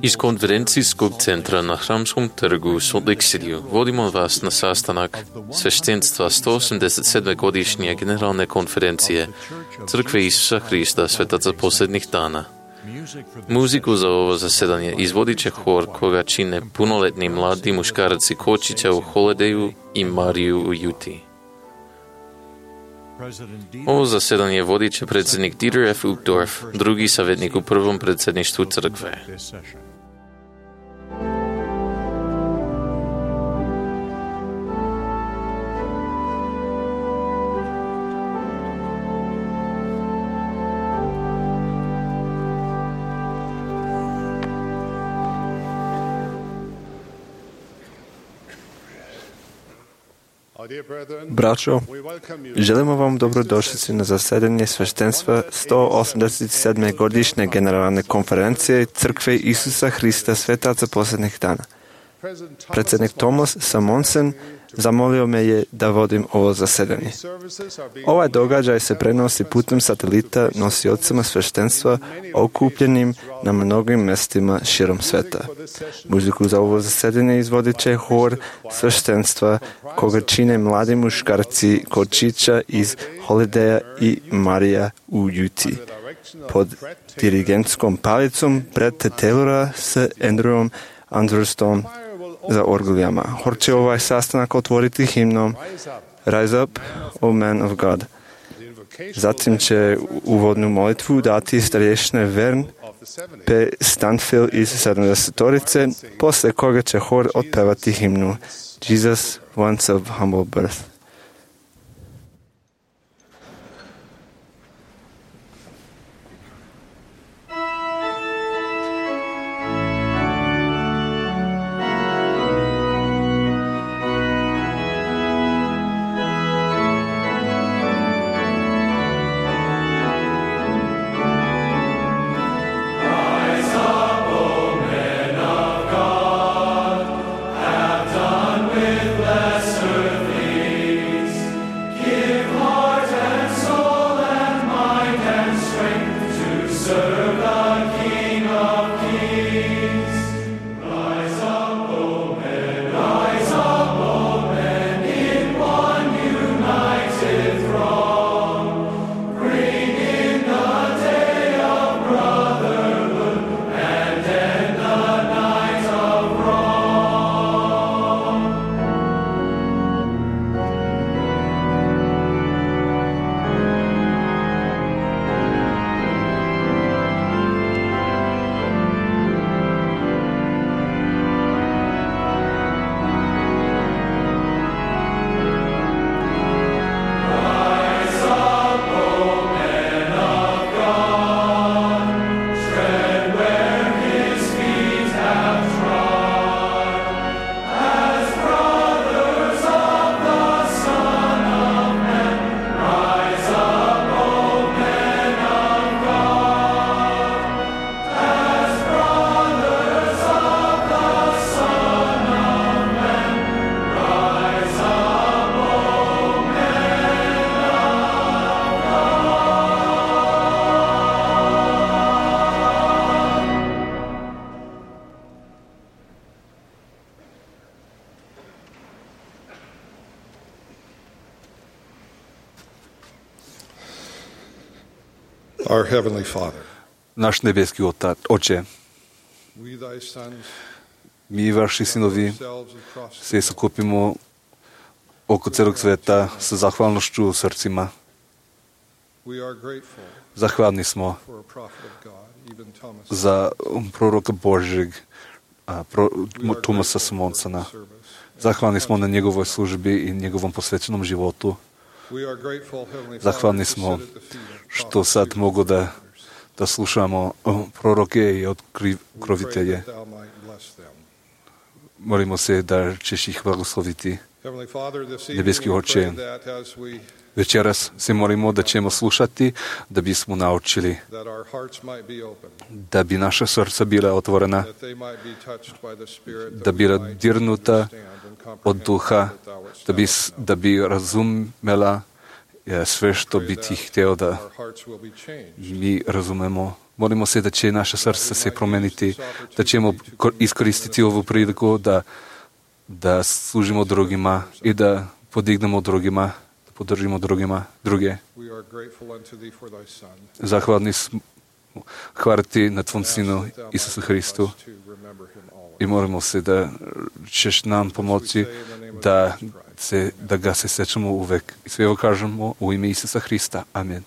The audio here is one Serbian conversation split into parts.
Iz konferencijskog centra na Hramskom trgu u Salt Lake City vodimo vas na sastanak sveštenstva 187. godišnje generalne konferencije Crkve Isusa Hrista Svetaca posljednjih dana. Muziku za ovo zasedanje izvodit će hor koga čine punoletni mladi muškarci Kočića u Holidayu i Mariju u Juti. Ovo zasedanje vodit će predsjednik Dieter F. Uchtdorf, drugi savjetnik u prvom predsjedništvu crkve. Braćo, želimo vam dobrodošlicu na zasedanje sveštenstva 187. godišnje generalne konferencije Crkve Isusa Hrista Svetaca posljednjih dana. Predsjednik Thomas Samonsen zamolio me je da vodim ovo zasedanje. Ovaj događaj se prenosi putem satelita nosiocima sveštenstva okupljenim na mnogim mjestima širom sveta. Muziku za ovo zasedanje izvodit će hor sveštenstva koga čine mladi muškarci Kočića iz Holidaya i Marija u Juti. Pod dirigentskom palicom Bretta Taylora s Andrewom Andrerstom za orgulijama. Hor će ovaj sastanak otvoriti himnom Rise Up, O Man of God. Zatim će uvodnu molitvu dati starješine Vern P. Stanfield iz 70-torice, posle koga će hor otpevati himnu Jesus Once of Humble Birth. Our Heavenly Father, naš nebeski Oče, mi vaši sinovi se sakupimo oko celog sveta sa zahvalnošću u srcima. Zahvalni smo za proroka Božjeg, Tomasa Samonsena. Zahvalni smo na njegovoj službi i njegovom posvećenom životu. Zahvalni smo što sad mogu da slušamo proroke i otkrovitelje. Molimo se da ćeš ih blagosloviti. Nebeski Oče, večeras se molimo da ćemo slušati, da bismo naučili, da bi naša srca bila otvorena, da bi dirnuta od duha, da bi razumela sve što bi ti hteo da mi razumemo. Molimo se da će naše srce se promeniti, da ćemo iskoristiti ovu priliku da služimo drugima i da podignemo drugima, da podržimo druge. Zahvalni smo, hvala ti na tvom sinu Isusu Hristu i molimo se da ćeš nam pomoći da ga se sećamo uvek. I sve ovo kažemo u ime Isusa Hrista. Amen.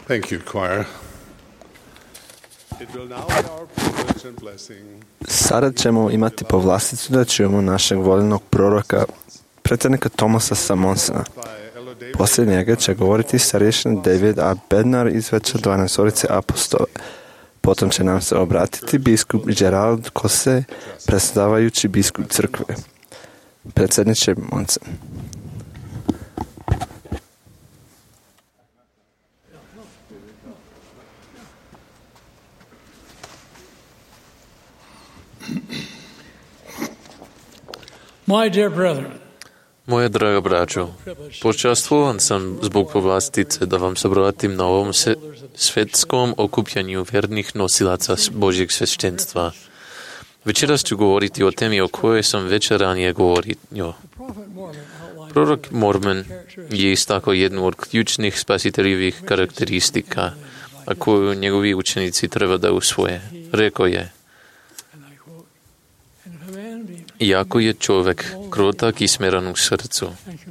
Thank you, choir. It will now be our privilege and blessing. Sada ćemo imati povlasticu da čujemo našeg voljenog proroka, predsjednika Thomasa Samonsona. Poslije njega će govoriti starješin David A. Bednar iz Veća 12 apostole. Potom će nam se obratiti biskup Gerald Kose, predsjedavajući biskup crkve. Predsjedniče Monsen. My dear brethren, Moja draga braćo, počastvovan sam zbog povlastice da vam se obratim na ovom svetskom okupljanju vernih nosilaca Božjeg sveštenstva. Večeras ću govoriti o temi o kojoj sam već ranije govorio. Prorok Mormon je istakao jednu od ključnih spasiteljivih karakteristika, a koju njegovi učenici treba da usvoje. Rekao je: iako je čovjek krotak i smeran u srcu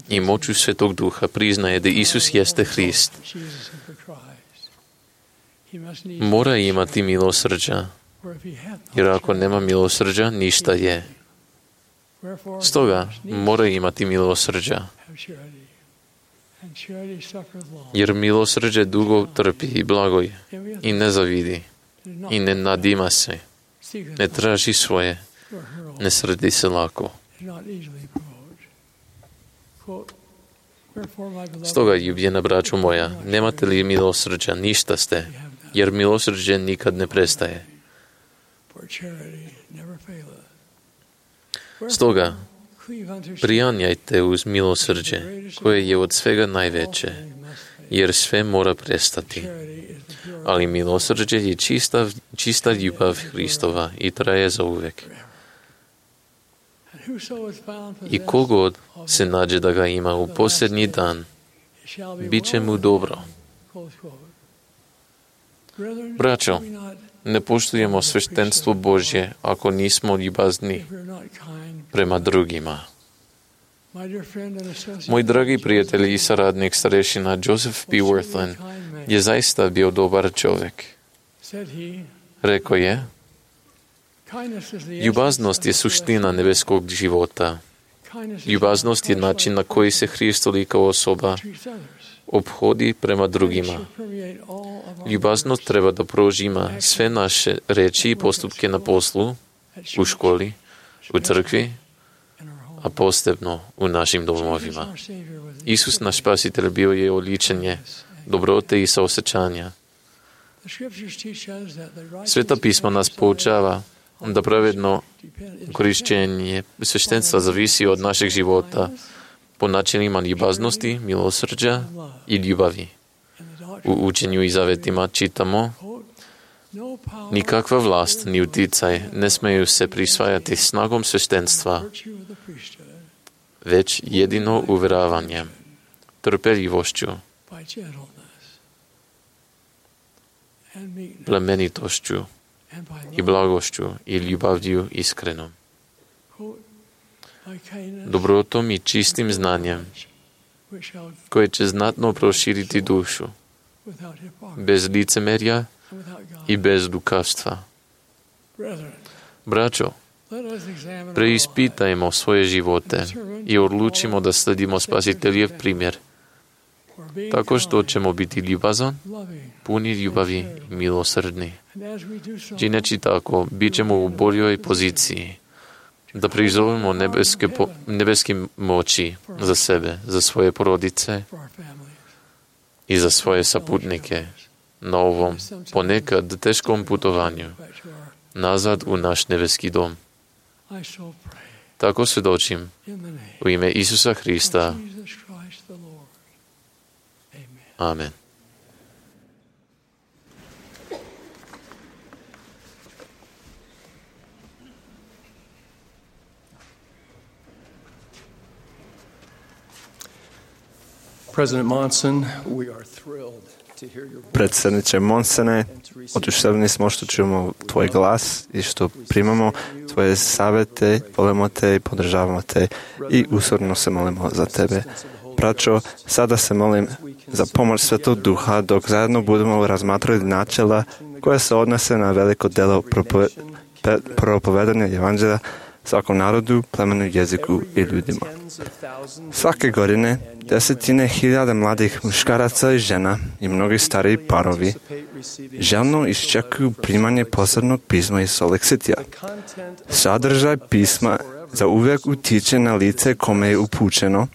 i moću Svetog Duha priznaje da Isus jeste Hrist, mora imati milosrđa, jer ako nema milosrđa, ništa je. Stoga mora imati milosrđa, jer milosrđe dugo trpi i blago je i ne zavidi i ne nadima se, ne traži svoje, ne srdi se lako. Stoga, ljubljena braćo moja, nemate li milosrđa, ništa ste, jer milosrđe nikad ne prestaje. Stoga, prijanjajte uz milosrđe, koje je od svega najveće, jer sve mora prestati. Ali milosrđe je čista ljubav Hristova i traje za uvek. I kogod se nađe da ga ima u posljednji dan, bit će mu dobro. Braćo, ne poštujemo sveštenstvo Božje ako nismo ljubazni prema drugima. Moj dragi prijatelj i saradnik starešina Joseph P. Worthland je zaista bio dobar čovjek. Rekao je: ljubaznost je suština nebeskog života. Ljubaznost je način na koji se Hristolika kao osoba ophodi prema drugima. Ljubaznost treba da prožima sve naše reči i postupke na poslu, u školi, u crkvi, a posebno u našim domovima. Isus, naš spasitelj, bio je oličenje dobrote i saosjećanja. Sveta pisma nas poučava da pravedno korišćenje sveštenstva zavisi od našeg života po načinima ljubaznosti, milosrđa i ljubavi. U učenju i zavetima čitamo: nikakva vlast ni uticaj ne smeju se prisvajati snagom sveštenstva, već jedino uvjeravanjem, trpeljivošću, plemenitošću i blagošću i ljubavlju iskrenom, dobrotom i čistim znanjem, koje će znatno proširiti dušu, bez licemerja i bez lukavstva. Braćo, preispitajmo svoje živote i odlučimo da sledimo Spasiteljev primjer, tako što ćemo biti ljubazan, puni ljubavi i milosrdni. Čineći tako, bit ćemo u boljoj poziciji da prizovemo nebeske moći za sebe, za svoje porodice i za svoje saputnike na ovom ponekad teškom putovanju nazad u naš nebeski dom. Tako svjedočim u ime Isusa Hrista. Amen. Predsjedniče Monsene, oduševljeni smo što čujemo tvoj glas i što primamo tvoje savjete, volimo te i podržavamo te i usorno se molimo za tebe. Braćo, sada se molim za pomoć Svetog Duha dok zajedno budemo razmatrali načela koja se odnose na veliko delo propovedanja evanđelja svakom narodu, plemenu, jeziku i ljudima. Svake godine desetine hiljada mladih muškaraca i žena i mnogi stariji parovi željno iščekuju primanje posebnog pisma iz Solexitija. Sadržaj pisma za uvijek utiče na lice kome je upućeno,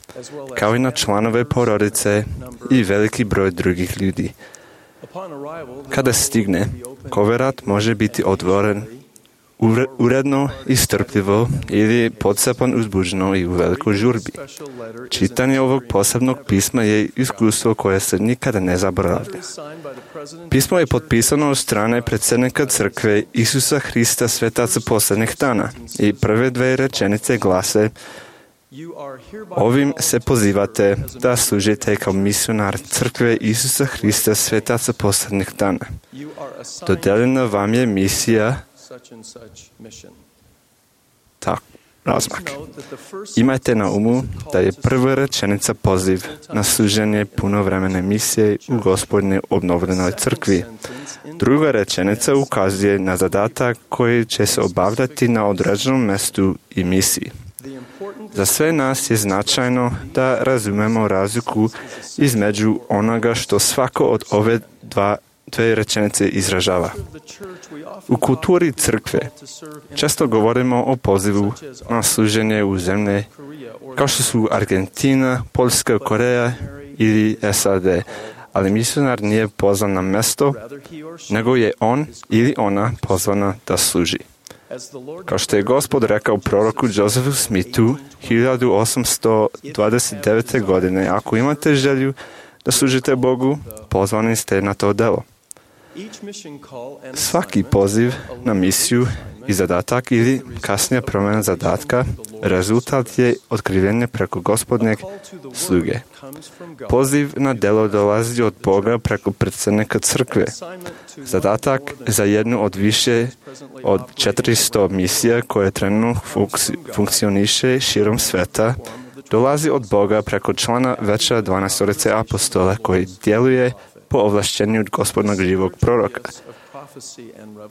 kao i na članove porodice i veliki broj drugih ljudi. Kada stigne, koverat može biti otvoren uredno i strpljivo ili podsjepan uzbuđeno i u velikoj žurbi. Čitanje ovog posebnog pisma je iskustvo koje se nikada ne zaboravlja. Pismo je potpisano od strane predsjednika crkve Isusa Hrista svetaca posljednjih dana i prve dve rečenice glase: ovim se pozivate da služite kao misionar crkve Isusa Hrista svetaca posljednjih dana. Dodeljena vam je misija tak, razmak. Imajte na umu da je prva rečenica poziv na služenje punovremene misije u Gospodnje obnovljenoj crkvi. Druga rečenica ukazuje na zadatak koji će se obavljati na određenom mjestu i misiji. Za sve nas je značajno da razumemo razliku između onoga što svako od ove dve rečenice izražava. U kulturi crkve često govorimo o pozivu na služenje u zemlje kao što su Argentina, Poljska, Koreja ili SAD, ali misionar nije pozvan na mjesto, nego je on ili ona pozvana da služi. Kao što je Gospod rekao proroku Josephu Smithu 1829. godine, ako imate želju da služite Bogu, pozvani ste na to delo. Svaki poziv na misiju i zadatak ili kasnija promjena zadatka rezultat je otkrivenje preko Gospodnjeg sluge. Poziv na delo dolazi od Boga preko predsjednika crkve. Zadatak za jednu od više od 400 misija koje trenutno funkcioniše širom sveta dolazi od Boga preko člana veća 12 apostola koji djeluje po ovlašćenju od Gospodnog živog proroka.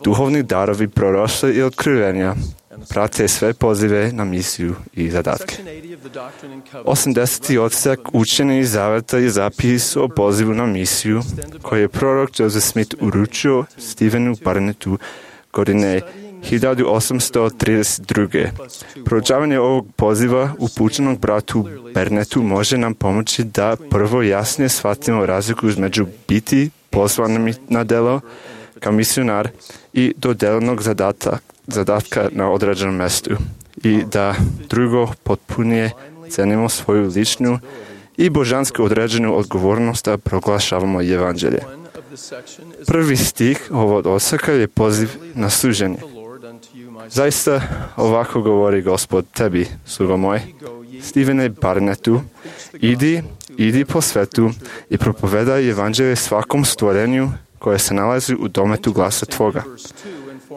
Duhovni darovi proroštva i otkrivenja prate sve pozive na misiju i zadatke. 80. odsek učenja iz zaveta je zapis o pozivu na misiju koji je prorok Joseph Smith uručio Stephenu Barnettu godine 1832. Proučavanje ovog poziva upućenog bratu Barnettu može nam pomoći da prvo jasnije shvatimo razliku između biti pozvanim na delo kao misionar i dodeljenog zadatka na određenom mjestu i da drugo potpunije cenimo svoju ličnu i božanski određenu odgovornost da proglašavamo evanđelje. Prvi stih ovog odseka je poziv na služenje. Zaista ovako govori Gospod tebi, slugo moj, Stephene Barnettu, idi po svetu i propovedaj evanđelje svakom stvorenju koje se nalazi u dometu glasa tvoga.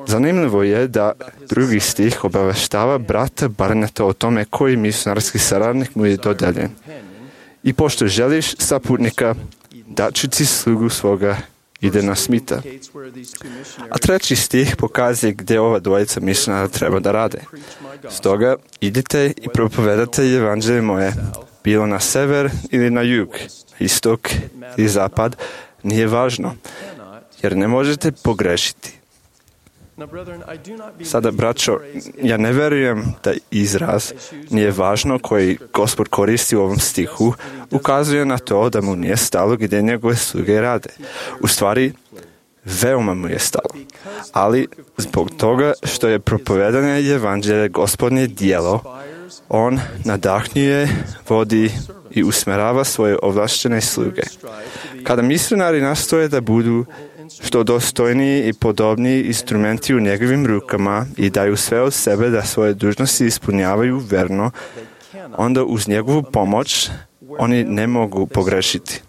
Zanimljivo je da drugi stih obaveštava brata Barnetta o tome koji misionarski saradnik mu je dodeljen. I pošto želiš saputnika, daću ti slugu svoga, ide na Smitha. A treći stih pokazuje gdje ova dvojica misionara treba da rade. Stoga idite i propovedate evanđelje moje, bilo na sever ili na jug, istok ili zapad, nije važno, jer ne možete pogrešiti. Sada, braćo, ja ne vjerujem da izraz nije važno koji Gospod koristi u ovom stihu ukazuje na to da mu nije stalo gdje njegove sluge rade. U stvari, veoma mu je stalo. Ali zbog toga što je propovedanje evanđelje Gospodnje djelo, on nadahnjuje, vodi i usmjerava svoje ovlaštene sluge. Kada misionari nastoje da budu što dostojniji i podobniji instrumenti u njegovim rukama i daju sve od sebe da svoje dužnosti ispunjavaju verno, onda uz njegovu pomoć oni ne mogu pogrešiti.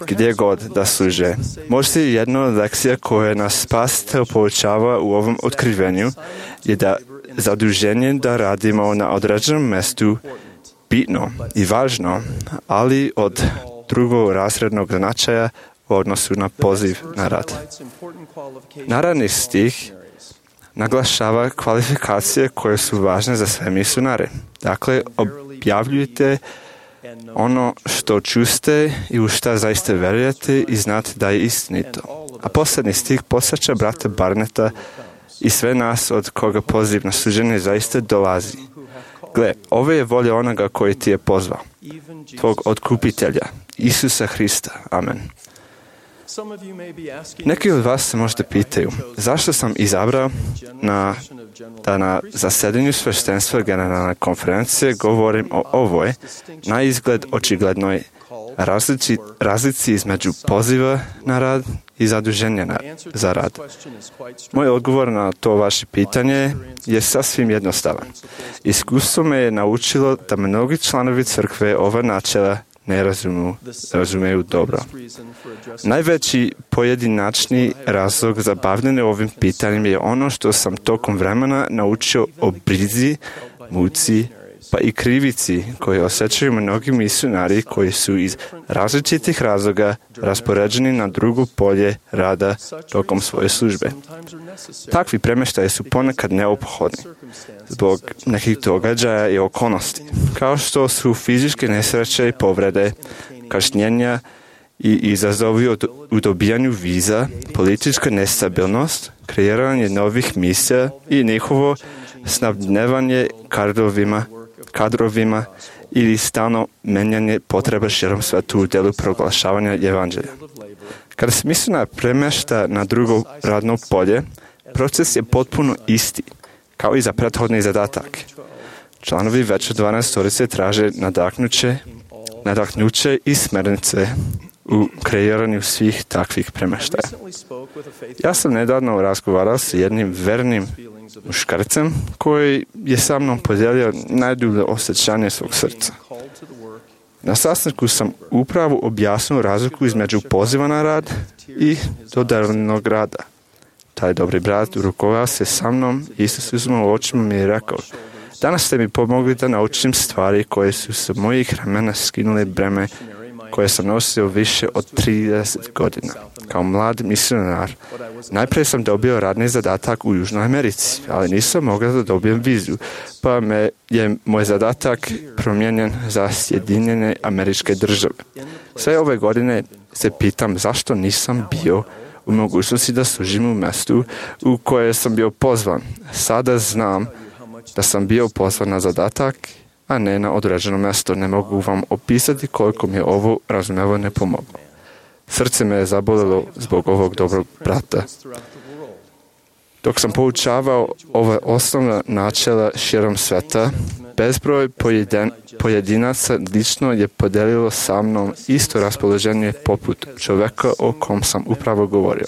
Gdje god da služe. Možda jedna od lekcija koja nas spas poučava u ovom otkrivenju je da zaduženje da radimo na određenom mjestu bitno i važno, ali od drugorazrednog značaja u odnosu na poziv na rad. Naravni stih naglašava kvalifikacije koje su važne za sve misionare. Dakle, objavljujte ono što čuste i u šta zaista vjerujete i znate da je istinito. A posljednji stih podsjeća brata Barnetta i sve nas od koga poziv na služenje zaista dolazi. Gle, ovo je volja onoga koji ti je pozvao, tvog otkupitelja, Isusa Hrista. Amen. Neki od vas se možda pitaju, zašto sam izabrao da na zasedanju sveštenstva generalne konferencije govorim o ovoj, na izgled očiglednoj razlici između poziva na rad i zaduženja za rad. Moj odgovor na to vaše pitanje je sasvim jednostavan. Iskustvo me je naučilo da mnogi članovi crkve ova načela ne razumeju dobro. Najveći pojedinačni razlog za bavljenje ovim pitanjem je ono što sam tokom vremena naučio o brizi, muci, pa i krivici koje osjećaju mnogi misionari koji su iz različitih razloga raspoređeni na drugo polje rada tokom svoje službe. Takvi premještaji su ponekad neophodni zbog nekih događaja i okolnosti, kao što su fizičke nesreće i povrede, kašnjenja i izazovi u dobijanju viza, politička nestabilnost, kreiranje novih misija i njihovo snabdevanje kadrovima ili stalno menjanje potreba širom sveta u delu proglašavanja evanđelja. Kada se misionar premješta na drugo radno polje, proces je potpuno isti, kao i za prethodni zadatak. Članovi Veća 12 traže nadahnuće i smernice u kreiranju svih takvih premještaja. Ja sam nedavno razgovarao s jednim vernim muškarcem koji je sa mnom podijelio najdublje osjećanje svog srca. Na sastanku sam upravo objasnio razliku između poziva na rad i dodeljenog rada. Taj dobri brat rukovao se sa mnom i Isusovim očima mi je rekao: danas ste mi pomogli da naučim stvari koje su sa mojih ramena skinule breme koje sam nosio više od 30 godina. Kao mlad misionar, najprije sam dobio radni zadatak u Južnoj Americi, ali nisam mogao da dobijem vizu, pa je moj zadatak promijenjen za Sjedinjene Američke Države. Sve ove godine se pitam zašto nisam bio u mogućnosti da služim u mjestu u koje sam bio pozvan. Sada znam da sam bio pozvan na zadatak, a ne na određeno mjesto. Ne mogu vam opisati koliko mi je ovo razumevanje pomoglo. Srce me je zabolilo zbog ovog dobrog brata. Dok sam poučavao ove osnovna načela širom sveta, bezbroj pojedinaca lično je podelilo sa mnom isto raspoloženje poput čovjeka o kom sam upravo govorio.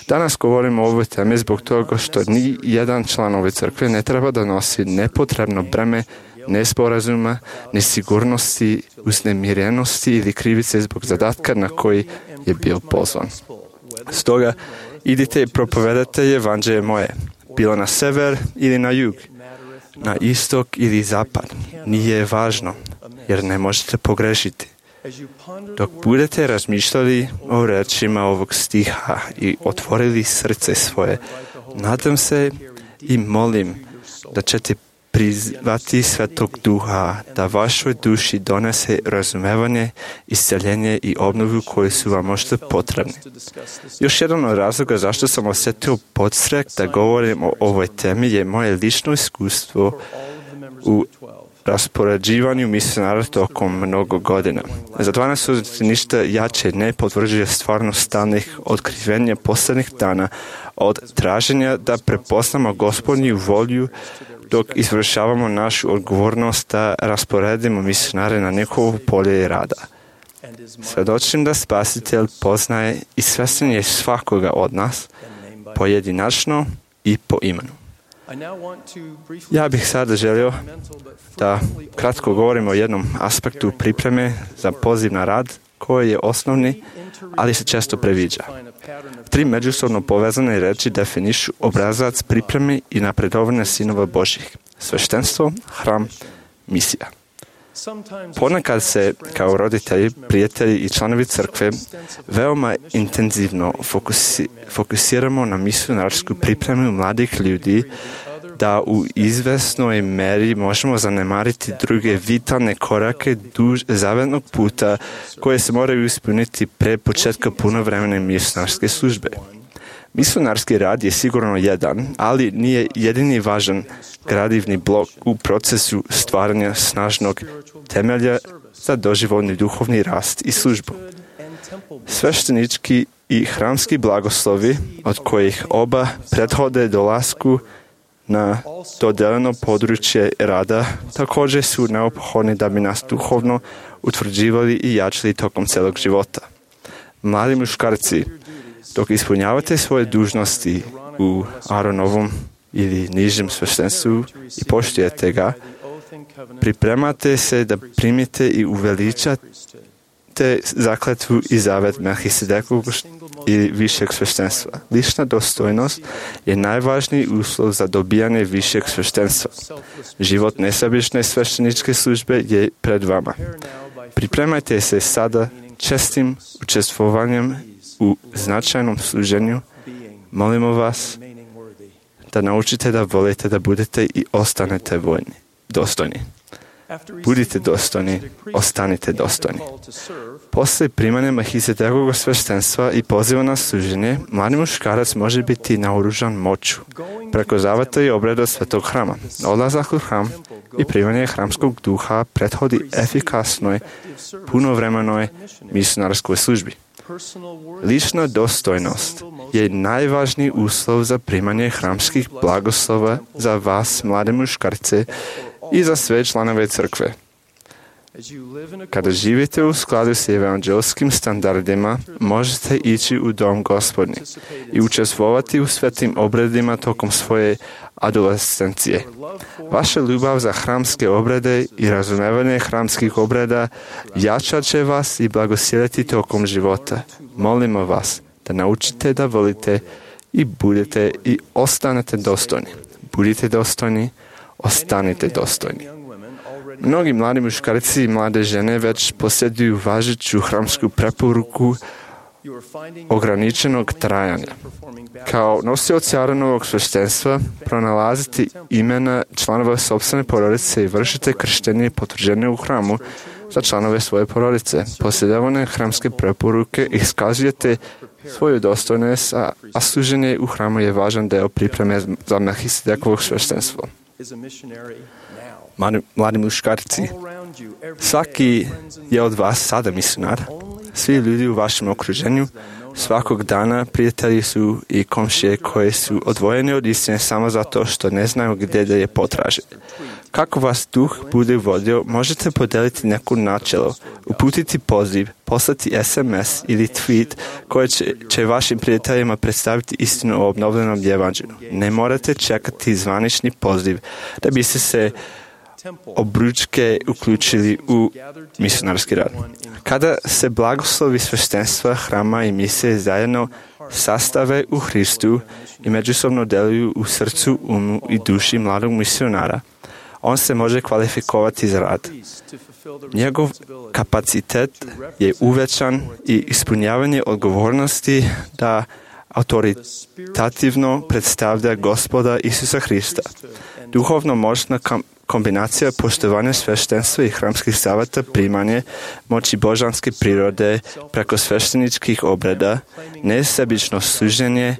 Danas govorimo o ovoj temi zbog toga što ni jedan član ove crkve ne treba da nosi nepotrebno breme nesporazuma, nesigurnosti, uznemirenosti ili krivice zbog zadatka na koji je bio pozvan. Stoga, idite i propovedate evanđelje moje, bilo na sever ili na jug, na istok ili zapad. Nije važno, jer ne možete pogrešiti. Dok budete razmišljali o rečima ovog stiha i otvorili srce svoje, nadam se i molim da ćete prizvati Svetog Duha da vašoj duši donese razumevanje, isceljenje i obnovu koji su vam možda potrebni. Još jedan od razloga zašto sam osjetio podstrek da govorim o ovoj temi je moje lično iskustvo u raspoređivanju misionara tokom mnogo godina. Za 12 ništa jače ne potvrđuje stvarnost stalnih otkrivenja posljednjih dana od traženja da prepoznamo Gospodnju volju dok izvršavamo našu odgovornost da rasporedimo misionare na njihovo polje rada. Svjedočim da Spasitelj poznaje i svjestan je svakoga od nas, pojedinačno i po imenu. Ja bih sada želio da kratko govorim o jednom aspektu pripreme za poziv na rad koji je osnovni, ali se često previđa. 3 međusobno povezane reči definišu obrazac pripreme i napredovanja sinova Božjih: sveštenstvo, hram, misija. Ponekad se, kao roditelji, prijatelji i članovi crkve, veoma intenzivno fokusiramo na misionarsku pripremu mladih ljudi, da u izvesnoj meri možemo zanemariti druge vitalne korake duž zavetnog puta koje se moraju ispuniti pre početka punovremene misionarske službe. Misionarski rad je sigurno jedan, ali nije jedini važan gradivni blok u procesu stvaranja snažnog temelja za doživotni duhovni rast i službu. Sveštenički i hramski blagoslovi, od kojih oba prethode dolasku na dodeljeno područje rada, također su neophodni da bi nas duhovno utvrđivali i jačali tokom celog života. Mladi muškarci, dok ispunjavate svoje dužnosti u Aaronovom ili nižem sveštenstvu i poštujete ga, pripremate se da primite i uveličate zakletvu i zavet Melhisedekovog ili višeg sveštenstva. Lična dostojnost je najvažniji uslov za dobijanje višeg sveštenstva. Život nesebične svešteničke službe je pred vama. Pripremajte se sada čestim učestvovanjem u značajnom služenju. Molimo vas da naučite da volite da budete i ostanete dostojni. Budite dostojni, ostanite dostojni. Posle primanja Melhisedekovog sveštenstva i poziva na služenje, mladi muškarac može biti naoružan moću preko zaveta i obreda svetog hrama. Odlazak u hram i primanje hramskog duha prethodi efikasnoj, punovremenoj misionarskoj službi. Lična dostojnost je najvažniji uslov za primanje hramskih blagoslova za vas, mlade muškarce, i za sve članove crkve. Kada živite u skladu s evanđelskim standardima, možete ići u dom Gospodnji i učestvovati u svetim obredima tokom svoje adolescencije. Vaša ljubav za hramske obrede i razumevanje hramskih obreda jačat će vas i blagosiljeti tokom života. Molimo vas da naučite da volite i budete i ostanete dostojni. Budite dostojni, ostanite dostojni. Mnogi mladi muškarci i mlade žene već posjeduju važeću hramsku preporuku ograničenog trajanja. Kao nosioci Aaronovog sveštenstva pronalazite imena članova sopstvene porodice i vršite krštenje i potvrđenje u hramu za članove svoje porodice. Posjedovane hramske preporuke iskazujete svoju dostojnost, a služenje u hramu je važan deo pripreme za Melhisedekovo sveštenstvo. Mladi muškarci, svaki je od vas sada misionar. Svi ljudi u vašem okruženju svakog dana prijatelji su i komšije koji su odvojeni od istine samo zato što ne znaju gdje da je potraže. Kako vas duh bude vodio, možete podeliti neku načelo, uputiti poziv, poslati SMS ili tweet koji će vašim prijateljima predstaviti istinu o obnovljenom evanđelju. Ne morate čekati zvanični poziv da biste se obručke uključili u misionarski rad. Kada se blagoslovi sveštenstva, hrama i misije zajedno sastave u Hristu i međusobno deluju u srcu, umu i duši mladog misionara, on se može kvalifikovati za rad. Njegov kapacitet je uvećan i ispunjavanje odgovornosti da autoritativno predstavlja Gospoda Isusa Hrista. Duhovno moćna kombinacija poštovanja sveštenstva i hramskih saveta, primanje moći božanske prirode preko svešteničkih obreda, nesebično služenje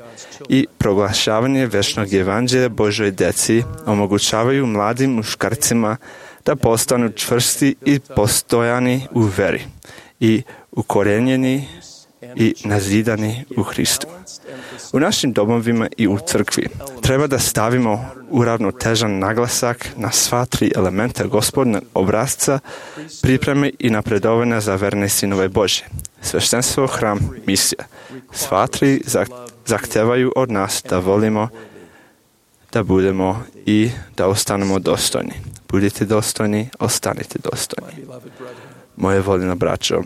i proglašavanje večnog evanđelja Božoj deci omogućavaju mladim muškarcima da postanu čvrsti i postojani u veri i ukorenjeni i nazidani u Hristu. U našim domovima i u crkvi treba da stavimo uravnotežan naglasak na sva tri elementa Gospodnog obrazca, pripreme i napredovanja za verne sinove Božje. Sveštenstvo, hram, misija. Sva tri zahtevaju od nas da volimo, da budemo i da ostanemo dostojni. Budite dostojni, ostanite dostojni. Moje voljeno braćo,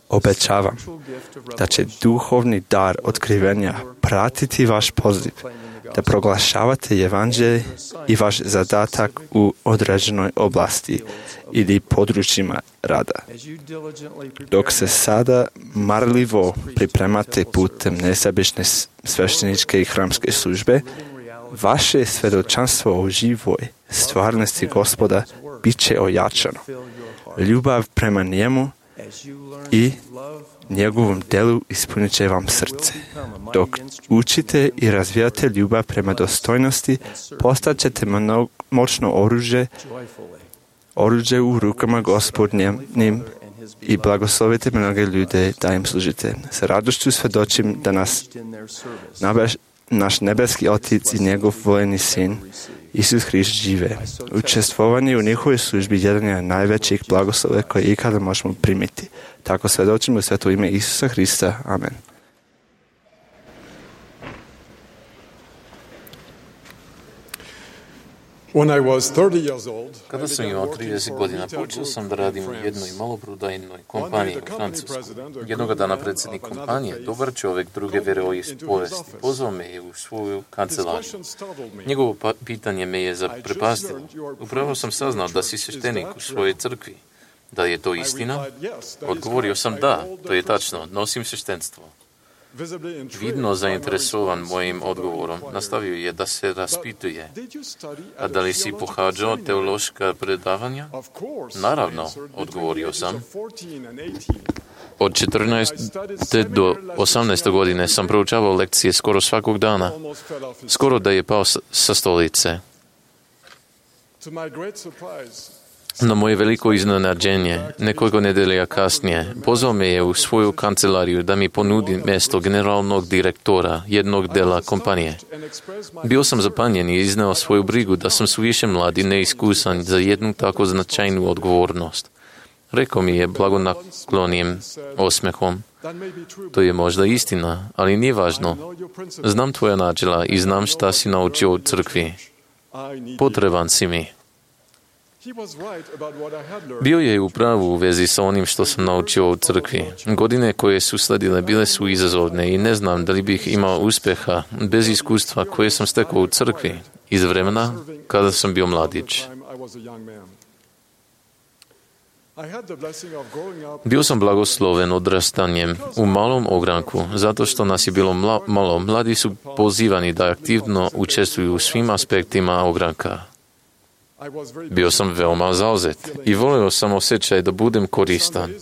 obećavam da će duhovni dar otkrivenja pratiti vaš poziv, da proglašavate evanđelje i vaš zadatak u određenoj oblasti ili područjima rada. Dok se sada marljivo pripremate putem nesebične svešteničke i hramske službe, vaše svjedočanstvo o živoj stvarnosti Gospoda bit će ojačano. Ljubav prema njemu i njegovom delu ispunit će vam srce. Dok učite i razvijate ljubav prema dostojnosti, postat ćete moćno oružje u rukama Gospodnjim i blagoslovite mnoge ljude da im služite. Sa radošću svedočim da naš nebeski Otac i njegov voljeni sin, Isus Hrist, žive. Učestvovanje u njihovoj službi jedan je najvećih blagoslova koje ikada možemo primiti. Tako svedočimo u sveto ime Isusa Hrista. Amen. Kada sam imao 30 godina, počeo sam da radim u jednoj maloprodajnoj kompaniji u Francusku. Jednoga dana predsjednik kompanije, dobar čovjek druge vjeroispovesti, pozvao me u svoju kancelariju. Njegovo pitanje me je zaprepastilo. Upravo sam saznao da si sveštenik u svojoj crkvi. Da je to istina? Odgovorio sam da, to je tačno, nosim sveštenstvo. Vidno zainteresovan mojim odgovorom, nastavio je da se raspituje. A da li si pohađao teološka predavanja? Naravno, odgovorio sam. Od 14. do 18. godine sam proučavao lekcije skoro svakog dana. Skoro da je pao sa stolice. Na moje veliko iznenađenje, nekoliko nedelja kasnije, pozvao me je u svoju kancelariju da mi ponudi mjesto generalnog direktora jednog dela kompanije. Bio sam zapanjen i izneo svoju brigu da sam suviše mlad i neiskusan za jednu tako značajnu odgovornost. Rekao mi je blagonaklonijim osmehom. To je možda istina, ali nije važno. Znam tvoja načela i znam šta si naučio u crkvi. Potreban si mi. Bio je u pravu u vezi sa onim što sam naučio u crkvi. Godine koje su sledile bile su izazovne i ne znam da li bih imao uspjeha bez iskustva koje sam stekao u crkvi iz vremena kada sam bio mladić. Bio sam blagosloven odrastanjem u malom ogranku, zato što nas je bilo malo. Mladi su pozivani da aktivno učestvuju u svim aspektima ogranka. Bio sam veoma zauzet i volio sam osjećaj da budem koristan.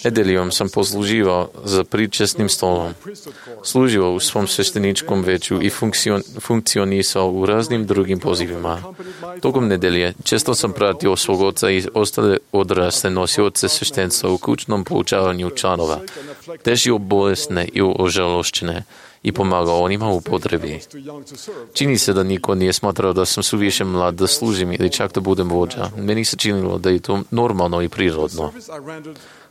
Nedeljom sam posluživao za pričesnim stolom, služio u svom svešteničkom veću i funkcionisao u raznim drugim pozivima. Tokom nedelje često sam pratio svog oca i ostale odrasle nosioce sveštenstva u kućnom poučavanju članova, težio bolesne i ožalošćene i pomagao onima u potrebi. Čini se da niko nije smatrao da sam suviše mlad da služim ili čak da budem vođa. Meni se činilo da je to normalno i prirodno.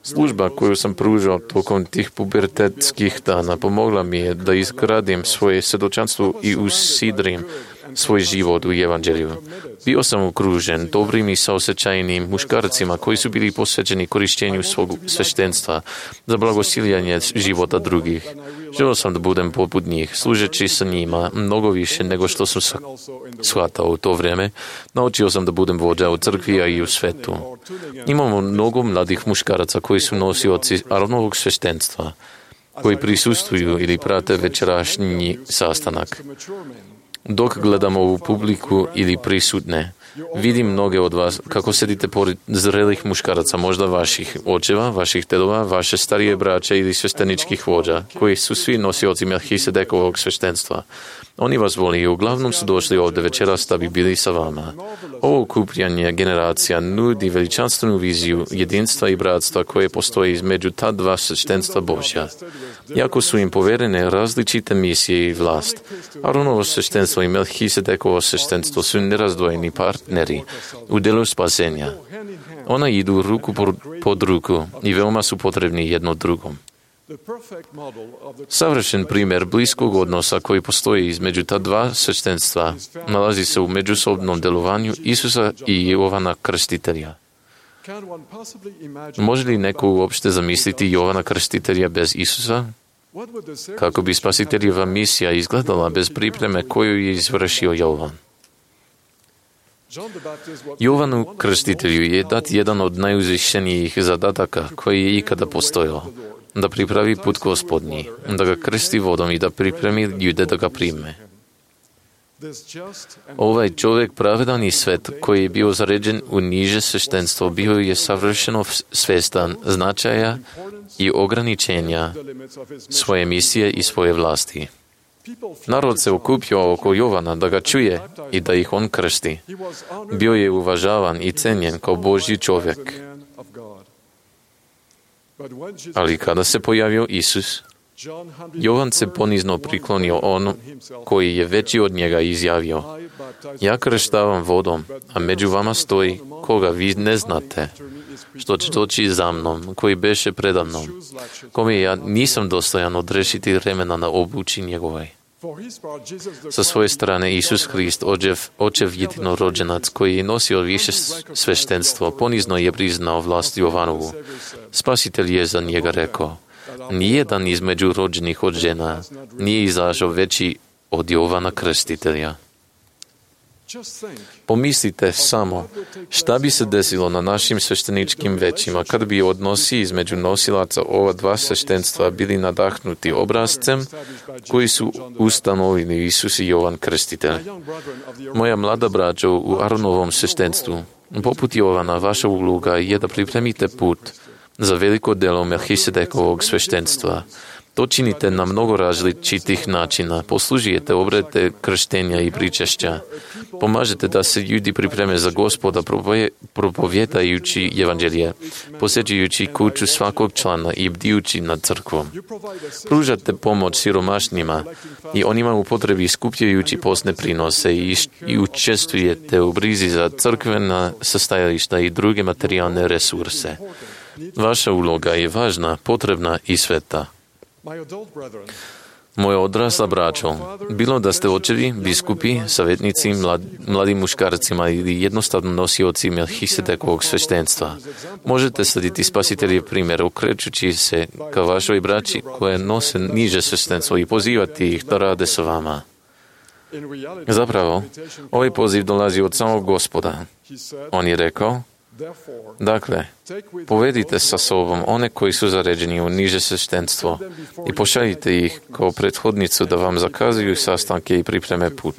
Služba koju sam pružao tokom tih pubertetskih dana pomogla mi je da izgradim svoje svjedočanstvo i usidrim svoj život u evanđelju. Bio sam okružen dobrim i saosećajnim muškarcima koji su bili posvećeni korištenju svog sveštenstva za blagosiljanje života drugih. Želio sam da budem poput njih, služeći sa njima mnogo više nego što sam shvatao u to vrijeme. Naučio sam da budem vođa u crkvi, a i u svetu. Imamo mnogo mladih muškaraca koji su nosioci Aronovog sveštenstva, koji prisustvuju ili prate večerašnji sastanak. Dok gledamo u publiku ili prisutne, vidim mnoge od vas kako sedite pored zrelih muškaraca, možda vaših očeva, vaših dedova, vaše starije braće ili svešteničkih vođa, koji su svi nosioci Melhisedekovog sveštenstva. Oni vas voli i uglavnom su došli ovdje večeras da bi bili sa vama. Ovo okupljanje generacija nudi veličanstvenu viziju jedinstva i bratstva koje postoji između ta dva sveštenstva Božja. Jako su im poverene različite misije i vlast. Aronovo sveštenstvo i Melhisedekovo sveštenstvo su nerazdvojeni partneri u delu spasenja. Ona idu ruku pod ruku i veoma su potrebni jedno drugom. Savršen primjer bliskog odnosa koji postoji između ta dva sveštenstva nalazi se u međusobnom delovanju Isusa i Jovana Krstitelja. Može li neko uopšte zamisliti Jovana Krstitelja bez Isusa? Kako bi spasiteljeva misija izgledala bez pripreme koju je izvršio Jovan? Jovanu Krstitelju je dat jedan od najuzvišenijih zadataka koji je ikada postojao, da pripravi put Gospodnji, da ga krsti vodom i da pripremi ljude da ga prime. Ovaj čovjek pravedan i svet koji je bio zaređen u niže sveštenstvo bio je savršeno svjestan značaja i ograničenja svoje misije i svoje vlasti. Narod se okupio oko Jovana da ga čuje i da ih on krsti. Bio je uvažavan i cenjen kao Božji čovjek. Ali kada se pojavio Isus, Jovan se ponizno priklonio on koji je veći od njega izjavio: Ja krštavam vodom, a među vama stoji koga vi ne znate, što će doći za mnom, koji beše preda mnom, kome ja nisam dostojan odrešiti remena na obući njegovoj. Sa svoje strane Isus Hrist, očev jedinorođenac koji je nosio više sveštenstvo, ponizno je priznao vlast Jovanovu. Spasitelj je za njega rekao: Nijedan između rođenih od žena nije izašao veći od Jovana Krstitelja. Pomislite samo šta bi se desilo na našim svešteničkim većima kad bi odnosi između nosilaca ova dva sveštenstva bili nadahnuti obrazcem koji su ustanovili Isus i Jovan Krstitelj. Moja mlada braćo u Aronovom sveštenstvu, poput Jovana, vaša uloga je da pripremite put za veliko delo Melchisedekovog sveštenstva. To činite na mnogo različitih načina. Poslužujete obrede krštenja i pričešća. Pomažete da se ljudi pripreme za Gospoda propovjedajući evanđelje, posjećujući kuću svakog člana i bdijući nad crkvom. Pružate pomoć siromašnima i onima u potrebi skupljajući postne prinose i učestvujete u brizi za crkvena sastajališta i druge materijalne resurse. Vaša uloga je važna, potrebna i sveta. Moja odrasla braćo, bilo da ste očevi, biskupi, savjetnici, mladim muškarcima ili jednostavno nosioci Melchisedekovog sveštenstva, možete slediti Spasiteljev primjer okrećući se ka vašoj braći koje nose niže sveštenstvo i pozivati ih da rade sa vama. Zapravo, ovaj poziv dolazi od samog Gospoda. On je rekao: Dakle, povedite sa sobom one koji su zaređeni u niže sveštenstvo i pošaljite ih kao prethodnicu da vam zakazuju sastanke i pripreme put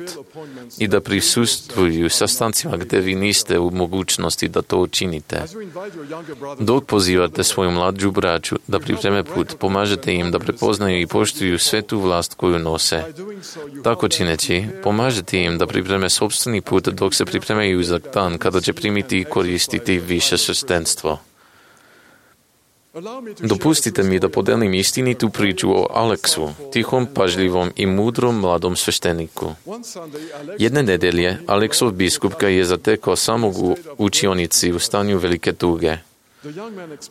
i da prisustvuju sastancima gdje vi niste u mogućnosti da to učinite. Dok pozivate svoju mlađu braću da pripreme put, pomažete im da prepoznaju i poštuju svetu vlast koju nose. Tako čineći, pomažete im da pripreme sopstveni put dok se pripremaju za dan kada će primiti i koristiti više sveštenstvo. Dopustite mi da podelim istinitu priču o Aleksu, tihom, pažljivom i mudrom mladom svešteniku. Jedne nedelje Aleksov biskup ga je zatekao samog u učionici u stanju velike tuge.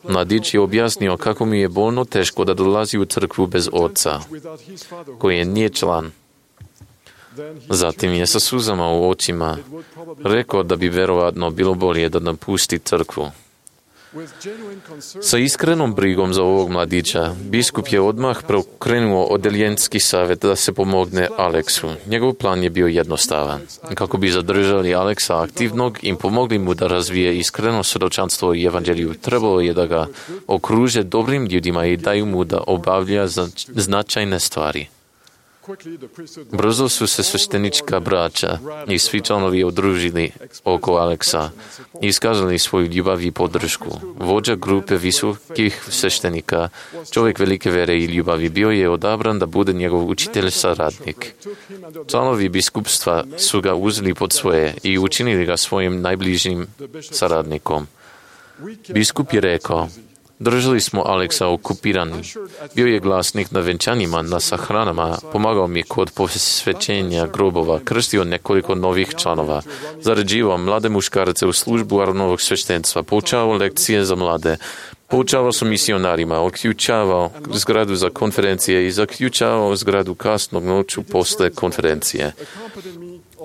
Mladić je objasnio kako mi je bolno teško da dolazi u crkvu bez oca, koji nije član. Zatim je sa suzama u očima rekao da bi verovatno bilo bolje da napusti crkvu. Sa iskrenom brigom za ovog mladića, biskup je odmah pokrenuo odeljenski savjet da se pomogne Aleksu. Njegov plan je bio jednostavan. Kako bi zadržali Aleksa aktivnog i pomogli mu da razvije iskreno svjedočanstvo i evanđelju, trebalo je da ga okruže dobrim ljudima i daju mu da obavlja značajne stvari. Brzo su se sveštenička braća i svi članovi udružili oko Aleksa i iskazali svoju ljubav i podršku. Vođa grupe visokih sveštenika, čovjek velike vere i ljubavi, bio je odabran da bude njegov učitelj saradnik. Članovi biskupstva su ga uzeli pod svoje i učinili ga svojim najbližim saradnikom. Biskup je rekao: Držali smo Aleksa okupirani. Bio je glasnik na venčanjima, na sahranama, pomagao mi kod posvećenja grobova, krstio nekoliko novih članova, zaređivao mlade muškarce u službu Aronovog sveštenstva, poučavao lekcije za mlade, poučavao su misionarima, uključavao zgradu za konferencije i zaključavao zgradu kasnog noću posle konferencije.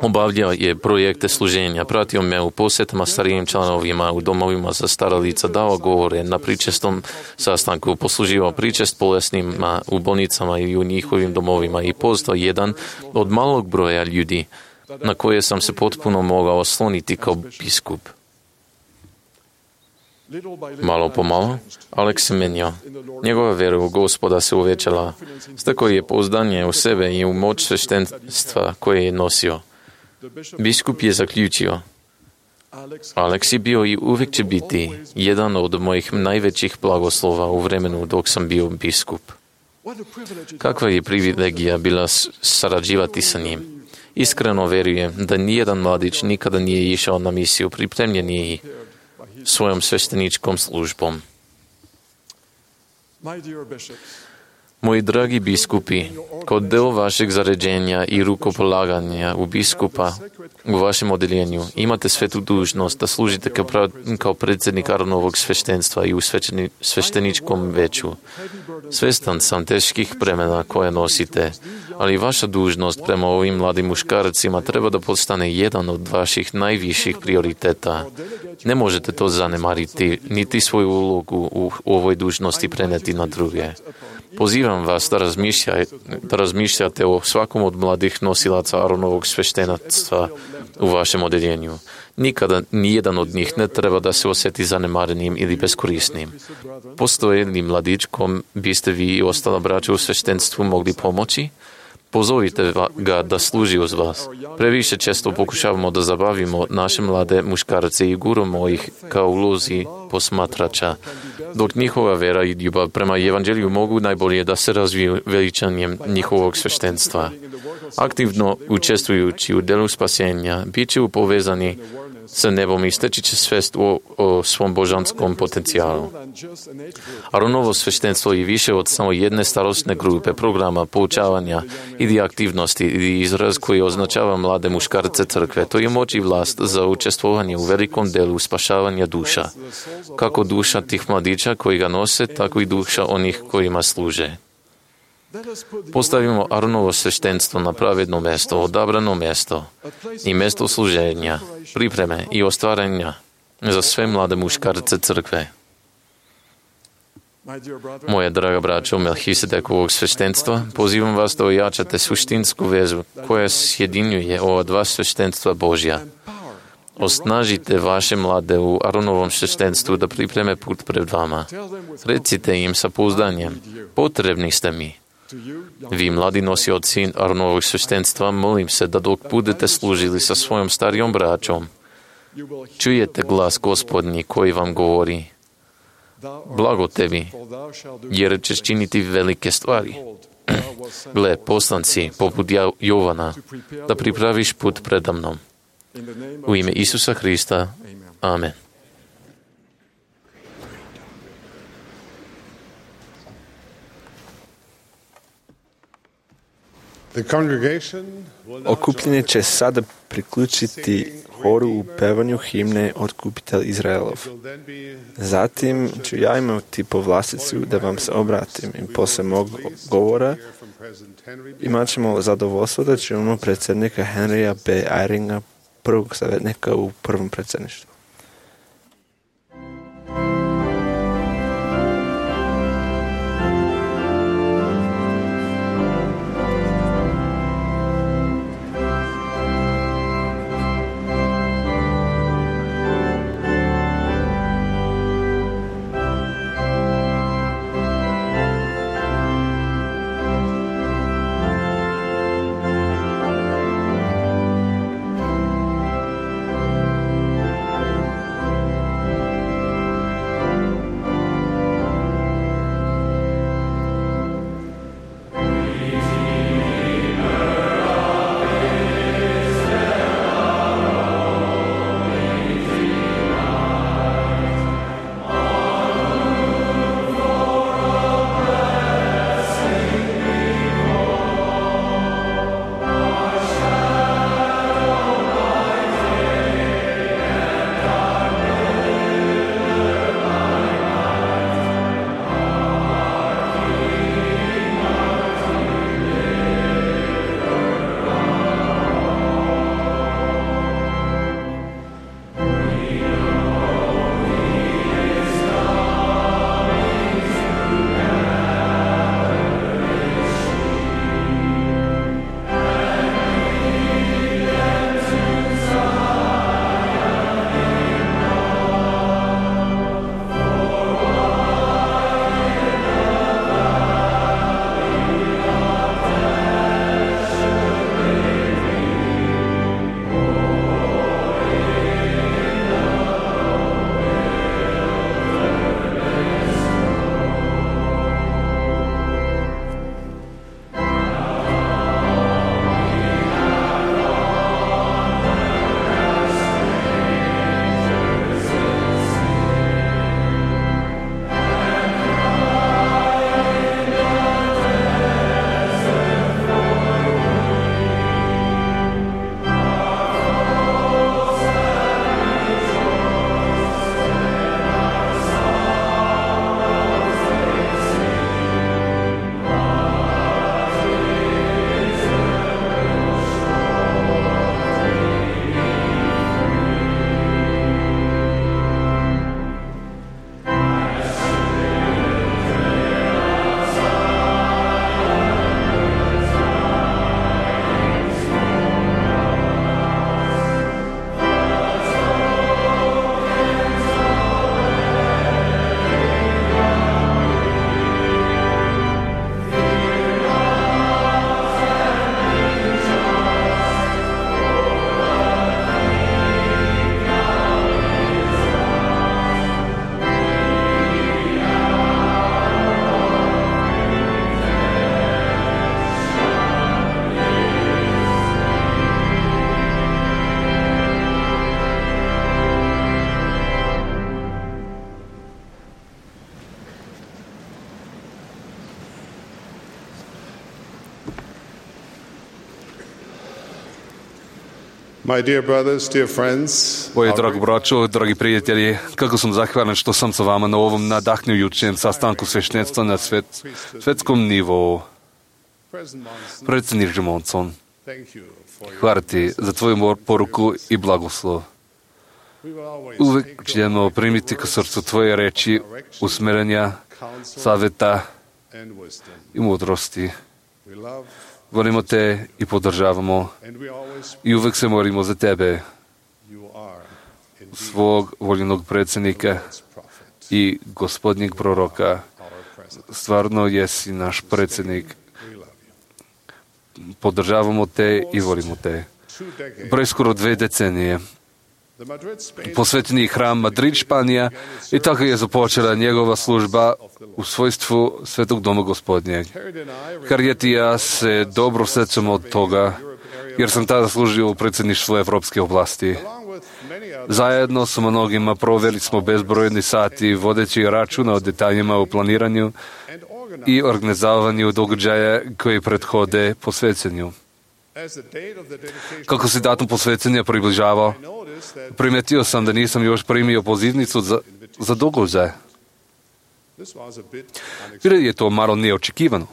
Obavljao je projekte služenja, pratio me u posjetama starijim članovima u domovima za stara lica, dao govore na pričestom sastanku, posluživao pričest bolesnima u bolnicama i u njihovim domovima i postao jedan od malog broja ljudi na koje sam se potpuno mogao osloniti kao biskup. Malo po malo, Aleks se menio. Njegova vera u Gospoda se uvećala. Stekao je pouzdanje u sebe i u moć sveštenstva koje je nosio. Biskup je zaključio: Aleks je bio i uvijek će biti jedan od mojih najvećih blagoslova u vremenu dok sam bio biskup. Kakva je privilegija bila sarađivati sa njim. Iskreno vjerujem da nijedan mladić nikada nije išao na misiju pripremljeniji svojom svešteničkom službom. Moji dragi biskupi, kao del vašeg zaređenja i rukopolaganja u biskupa u vašem odeljenju imate svetu dužnost da služite kao predsjednik Aronovog sveštenstva i u svešteničkom veću. Svestan sam teških bremena koje nosite, ali vaša dužnost prema ovim mladim muškarcima treba da postane jedan od vaših najviših prioriteta. Ne možete to zanemariti, niti svoju ulogu u ovoj dužnosti preneti na druge. Pozivam vas da razmišljate o svakom od mladih nosilaca Aronovog sveštenstva u vašem odeljenju. Nikada nijedan od njih ne treba da se osjeti zanemarenim ili beskorisnim. Postoje li mladić kom biste vi i ostala braća u sveštenstvu mogli pomoći? Pozovite ga da služi uz vas. Previše često pokušavamo da zabavimo naše mlade muškarce i guramo ih kao ulozi posmatrača, dok njihova vera i ljubav prema evanđelju mogu najbolje da se razviju veličanjem njihovog sveštenstva. Aktivno učestvujući u delu spasenja, bit će povezani sa nebom i steći će svest o svom božanskom potencijalu. Aronovo sveštenstvo je više od samo jedne starostne grupe, programa, poučavanja ili aktivnosti ili izraz koji označava mlade muškarce crkve. To je moć i vlast za učestvovanje u velikom delu spašavanja duša. Kako duša tih mladića koji ga nose, tako i duša onih kojima služe. Postavimo Aronovo sveštenstvo na pravedno mjesto, odabrano mjesto i mjesto služenja, pripreme i ostvarenja za sve mlade muškarce crkve. Moja draga braćo Melhisedekovog sveštenstva, pozivam vas da ojačate suštinsku vezu koja sjedinjuje ova dva sveštenstva Božja. Osnažite vaše mlade u Aronovom sveštenstvu da pripreme put pred vama. Recite im sa pouzdanjem, potrebni ste mi. Vi, mladi nosioci Aronovog sveštenstva, molim se da dok budete služili sa svojom starijom braćom, čujete glas Gospodnji koji vam govori: blago tebi, jer ćeš činiti velike stvari. Gle, poslan si, poput Jovana, da pripraviš put predamnom. U ime Isusa Hrista. Amen. Okupljenje će sada priključiti horu u pevanju himne Otkupitelj Izraelov. Zatim ću ja imati povlasticu da vam se obratim i posle mog govora imat ćemo zadovoljstvo da čujemo predsjednika Henrya B. Eyringa, prvog savjetnika u prvom predsjedništvu. My dear brothers, dear friends, Moji dragi braćo, dragi prijatelji, kako sam zahvalan što sam sa vama na ovom nadahnjujućem sastanku sveštenstva na svetskom nivou. Predsjednik Monson, hvala ti za tvoju poruku i blagoslov. Uvijek ćemo primiti k srcu tvoje reči, usmerenja, savjeta i mudrosti. Volimo te i podržavamo i uvijek se molimo za tebe, svog voljenog predsjednika i gospodnjeg proroka. Stvarno jesi naš predsjednik. Podržavamo te i volimo te. Preskoro 2 decenije posvećeni hram Madrid, Španija, i tako je započela njegova služba u svojstvu Svetog doma Gospodnjeg. Harriet i ja se dobro sjećamo od toga, jer sam tada služio u predsjedništvu Evropske oblasti. Zajedno sa mnogima proveli smo bezbrojni sati vodeći računa o detaljima u planiranju i organizavanju događaja koji prethode posvećenju. Kako se datum posvećenja približavao, primetio sam da nisam još primio pozivnicu za događaj. Bilo je to malo neočekivano.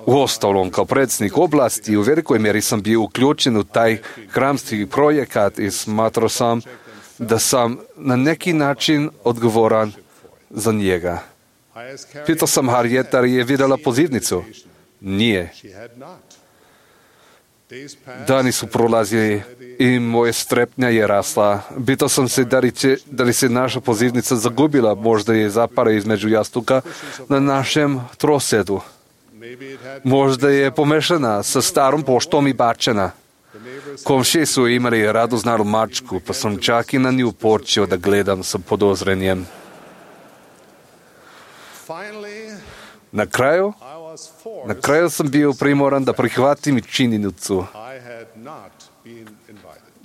Uostalom, kao predsjednik oblasti, u velikoj mjeri sam bio uključen u taj hramski projekat i smatrao sam da sam na neki način odgovoran za njega. Pitao sam Harriet da je vidjela pozivnicu. Nije. Dani su prolazili i moja strepnja je rasla. Pitao sam se da li se naša pozivnica zagubila, možda je zapara između jastuka na našem trosedu. Možda je pomešana sa starom poštom i bačena. Komšije su imali radoznadu mačku, pa sam čak i na nju počeo da gledam sa podozrenjem. Na kraju sam bio primoran da prihvatim činjenicu.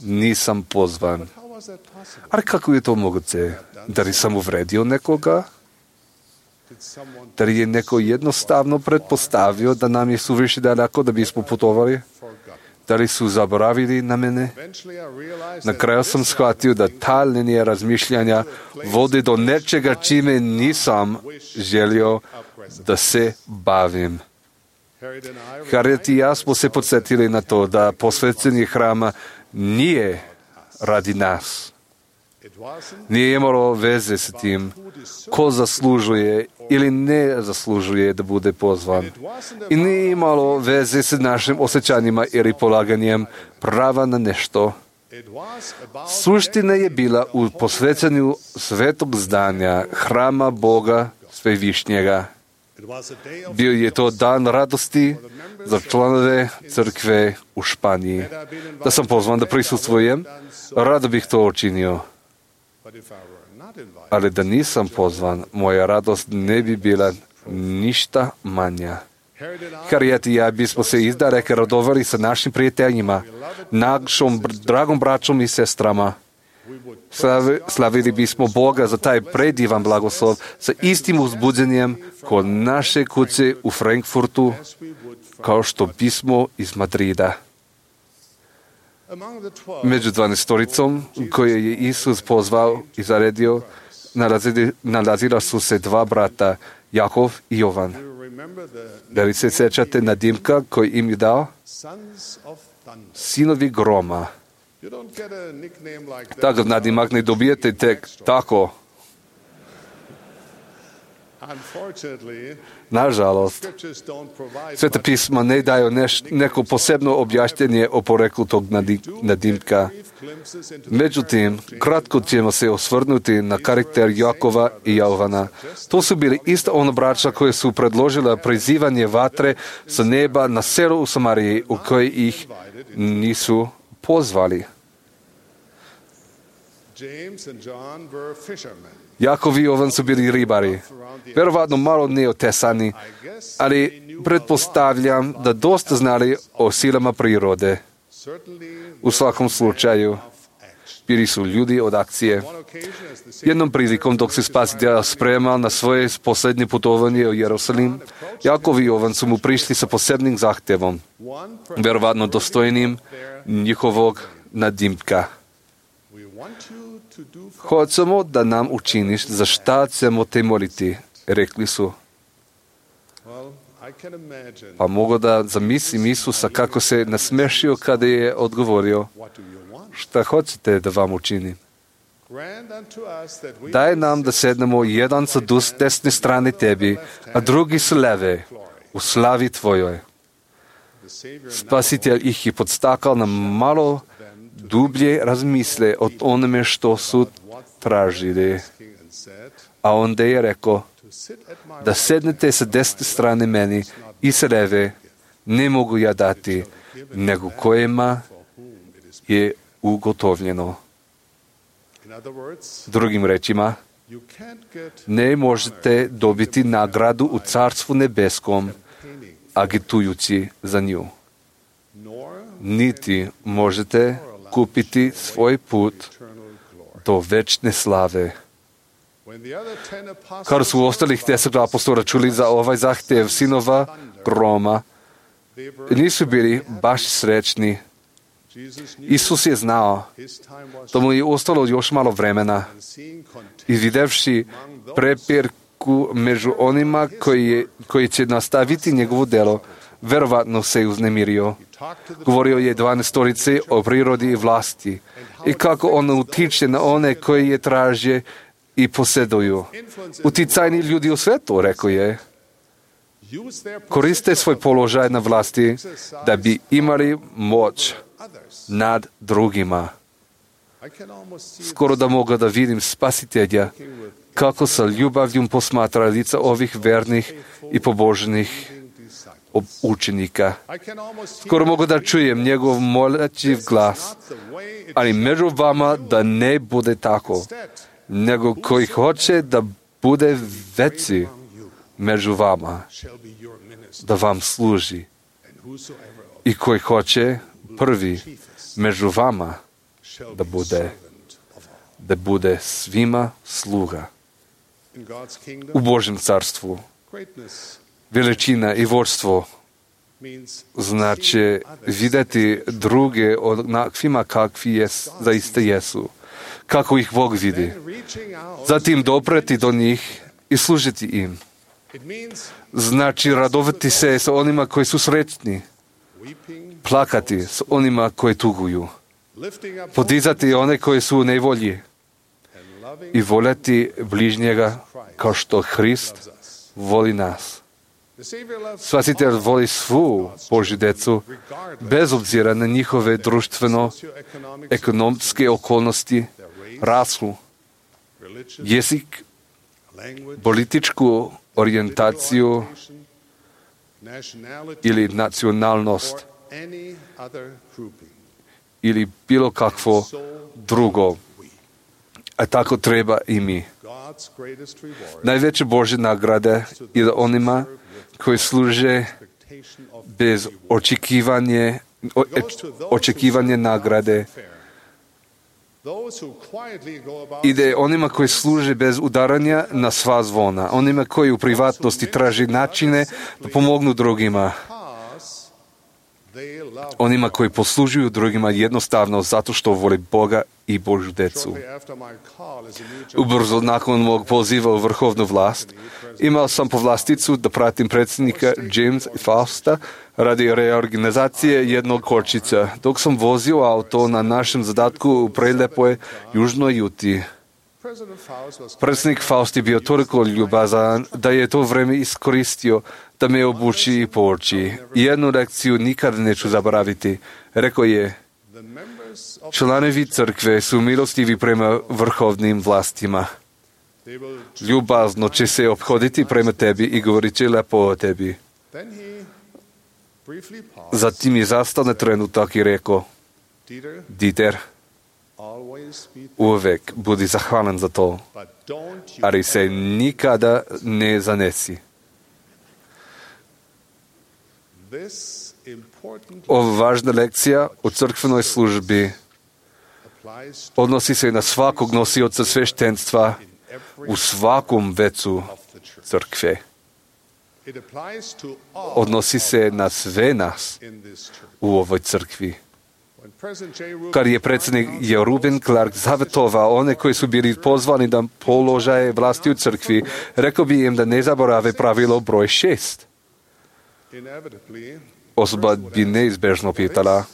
Nisam pozvan. Ali kako je to moguće? Da li sam uvredio nekoga? Da li je neko jednostavno pretpostavio da nam je suviše daleko da bismo putovali? Da li su zaboravili na mene? Na kraju sam shvatio da ta linija razmišljanja vodi do nečega čime nisam želio da se bavim. Harriet i ja smo se podsjetili na to da posvećenje hrama nije radi nas. Nije imalo veze s tim ko zaslužuje ili ne zaslužuje da bude pozvan. I nije imalo veze s našim osjećanjima ili polaganjem prava na nešto. Suština je bila u posvećanju svetog zdanja, hrama Boga Svevišnjega. Bio je to dan radosti za članove crkve u Španiji. Da sam pozvan da prisustvujem, rado bih to učinio. Ali da nisam pozvan, moja radost ne bi bila ništa manja. Harriet i ja bismo se izdaleka radovali sa našim prijateljima, našom dragom braćom i sestrama. Slavili bismo Boga za taj predivan blagoslov sa istim uzbuđenjem kod naše kuće u Frankfurtu, kao što bismo iz Madrida. Među 12 koje je Isus pozvao i zaredio, nalazila su se 2 brata, Jakov i Jovan. Da li se sjećate nadimka koji im je dao? Sinovi groma. Takav nadimak ne dobijete tek tako. Nažalost, Sveta pisma ne daju neko posebno objašnjenje o poreklu tog nadimka. Međutim, kratko ćemo se osvrnuti na karakter Jakova i Jovana. To su bili isto ono braća koje su predložila prizivanje vatre sa neba na selo u Samariji, u koje ih nisu pozvali. Jakov i Jovan su bili ribari, verovatno malo neotesani, ali pretpostavljam da dosta znali o silama prirode. U svakom slučaju, bili su ljudi od akcije. Jednom prilikom, dok se Spasitelj spremao na svoje posljednje putovanje u Jerusalim, Jakov i Jovan su mu prišli sa posebnim zahtjevom, verovatno dostojnim njihovog nadimka. Hoćemo da nam učiniš za šta ćemo te moliti, rekli su. Pa mogu da zamislim Isusa kako se nasmešio kada je odgovorio, šta hoćete da vam učinim? Daj nam da sednemo jedan sa desne strane tebi, a drugi sa leve, u slavi tvojoj. Spasitelj ih je podstakal na malo dublje razmisle o onome što su tražili. A onda je rekao, da sednete sa desne strane meni i sa leve ne mogu ja dati, nego kojima je ugotovljeno. Drugim rečima, ne možete dobiti nagradu u Carstvu nebeskom, agitujući za nju. Niti možete kupiti svoj put do večne slave. Kada su ostalih 10 apostola čuli za ovaj zahtjev sinova groma, nisu bili baš srećni. Isus je znao da mu je ostalo još malo vremena i videvši prepirku među onima koji će nastaviti njegovo delo, verovatno se uznemirio. Govorio je 12 o prirodi i vlasti i kako on utiče na one koji je traže i posjeduju. Uticajni ljudi u svijetu, rekao je, koriste svoj položaj na vlasti da bi imali moć nad drugima. Skoro da mogu da vidim Spasitelja kako sa ljubavljom posmatra lica ovih vernih i pobožnih učenika. Skoro mogu da čujem njegov moleći glas, ali među vama da ne bude tako, nego koji hoće da bude veći među vama, da vam služi. I koji hoće prvi među vama da bude svima sluga. U Božjem carstvu veličina i vodstvo znači vidjeti druge onakvima kakvi zaista jesu, kako ih Bog vidi. Zatim dopreti do njih i služiti im. Znači radovati se sa onima koji su sretni, plakati s onima koji tuguju, podizati one koji su u nevolji i voljeti bližnjega kao što Hrist voli nas. Spasitelj voli svu Božju decu, bez obzira na njihove društveno-ekonomske okolnosti, rasu, jezik, političku orijentaciju ili nacionalnost ili bilo kakvo drugo. A tako treba i mi. Najveće Božje nagrade je da onima koji služe bez očekivanje nagrade ide onima koji služe bez udaranja na sva zvona, onima koji u privatnosti traži načine da pomognu drugima, onima koji poslužuju drugima jednostavno zato što vole Boga i Božju decu. Ubrzo nakon mog poziva u vrhovnu vlast, imao sam povlasticu da pratim predsjednika James Fausta radi reorganizacije jednog kočića, dok sam vozio auto na našem zadatku u prelepoj južnoj Juti. Predsjednik Faust je bio toliko ljubazan da je to vrijeme iskoristio da me obuči i pouči. Jednu lekciju nikad neću zaboraviti. Rekao je, članovi crkve su milostivi prema vrhovnim vlastima. Ljubazno će se ophoditi prema tebi i govorit će lepo o tebi. Zatim je zastao na trenutak i rekao, Dieter, uvek budi zahvalan za to, ali se nikada ne zanesi. Ova važna lekcija o crkvenoj službi odnosi se na svakog nosioca sveštenstva u svakom vecu crkve. Odnosi se na sve nas u ovoj crkvi. Kad je predsjednik Reuben Clark zavjetovao one koji su bili pozvani da položaje vlasti u crkvi, rekao bi im da ne zaborave pravilo broj 6. Osoba bi neizbežno pitala,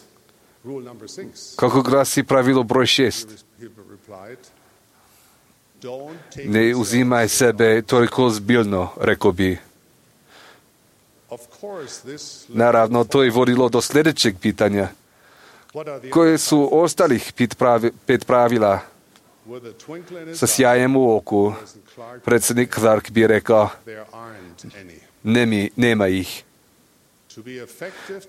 kako glasi pravilo broj 6? Ne uzimaj sebe toliko zbiljno, rekao bi. Naravno, to je vodilo do sljedećeg pitanja. Koje su ostalih 5 pravila? Sa sjajem u oku, predsjednik Clark bi rekao, nema ih.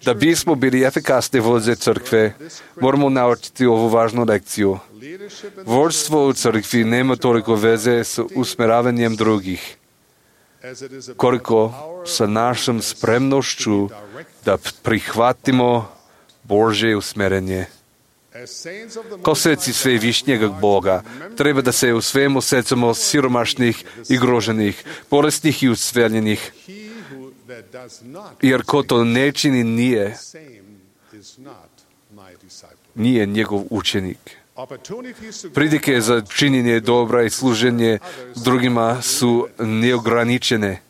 Da bismo bili efikasni vođe crkve, moramo naučiti ovu važnu lekciju. Vođstvo u crkvi nema toliko veze s usmjeravanjem drugih, koliko sa našom spremnošću da prihvatimo Božje usmjerenje. Kao sveci svevišnjeg Boga, treba da se u svemu secamo siromašnih i groženih, bolesnih i usveljenih, jer ko to ne čini nije njegov učenik. Prilike za činjenje dobra i služenje drugima su neograničene.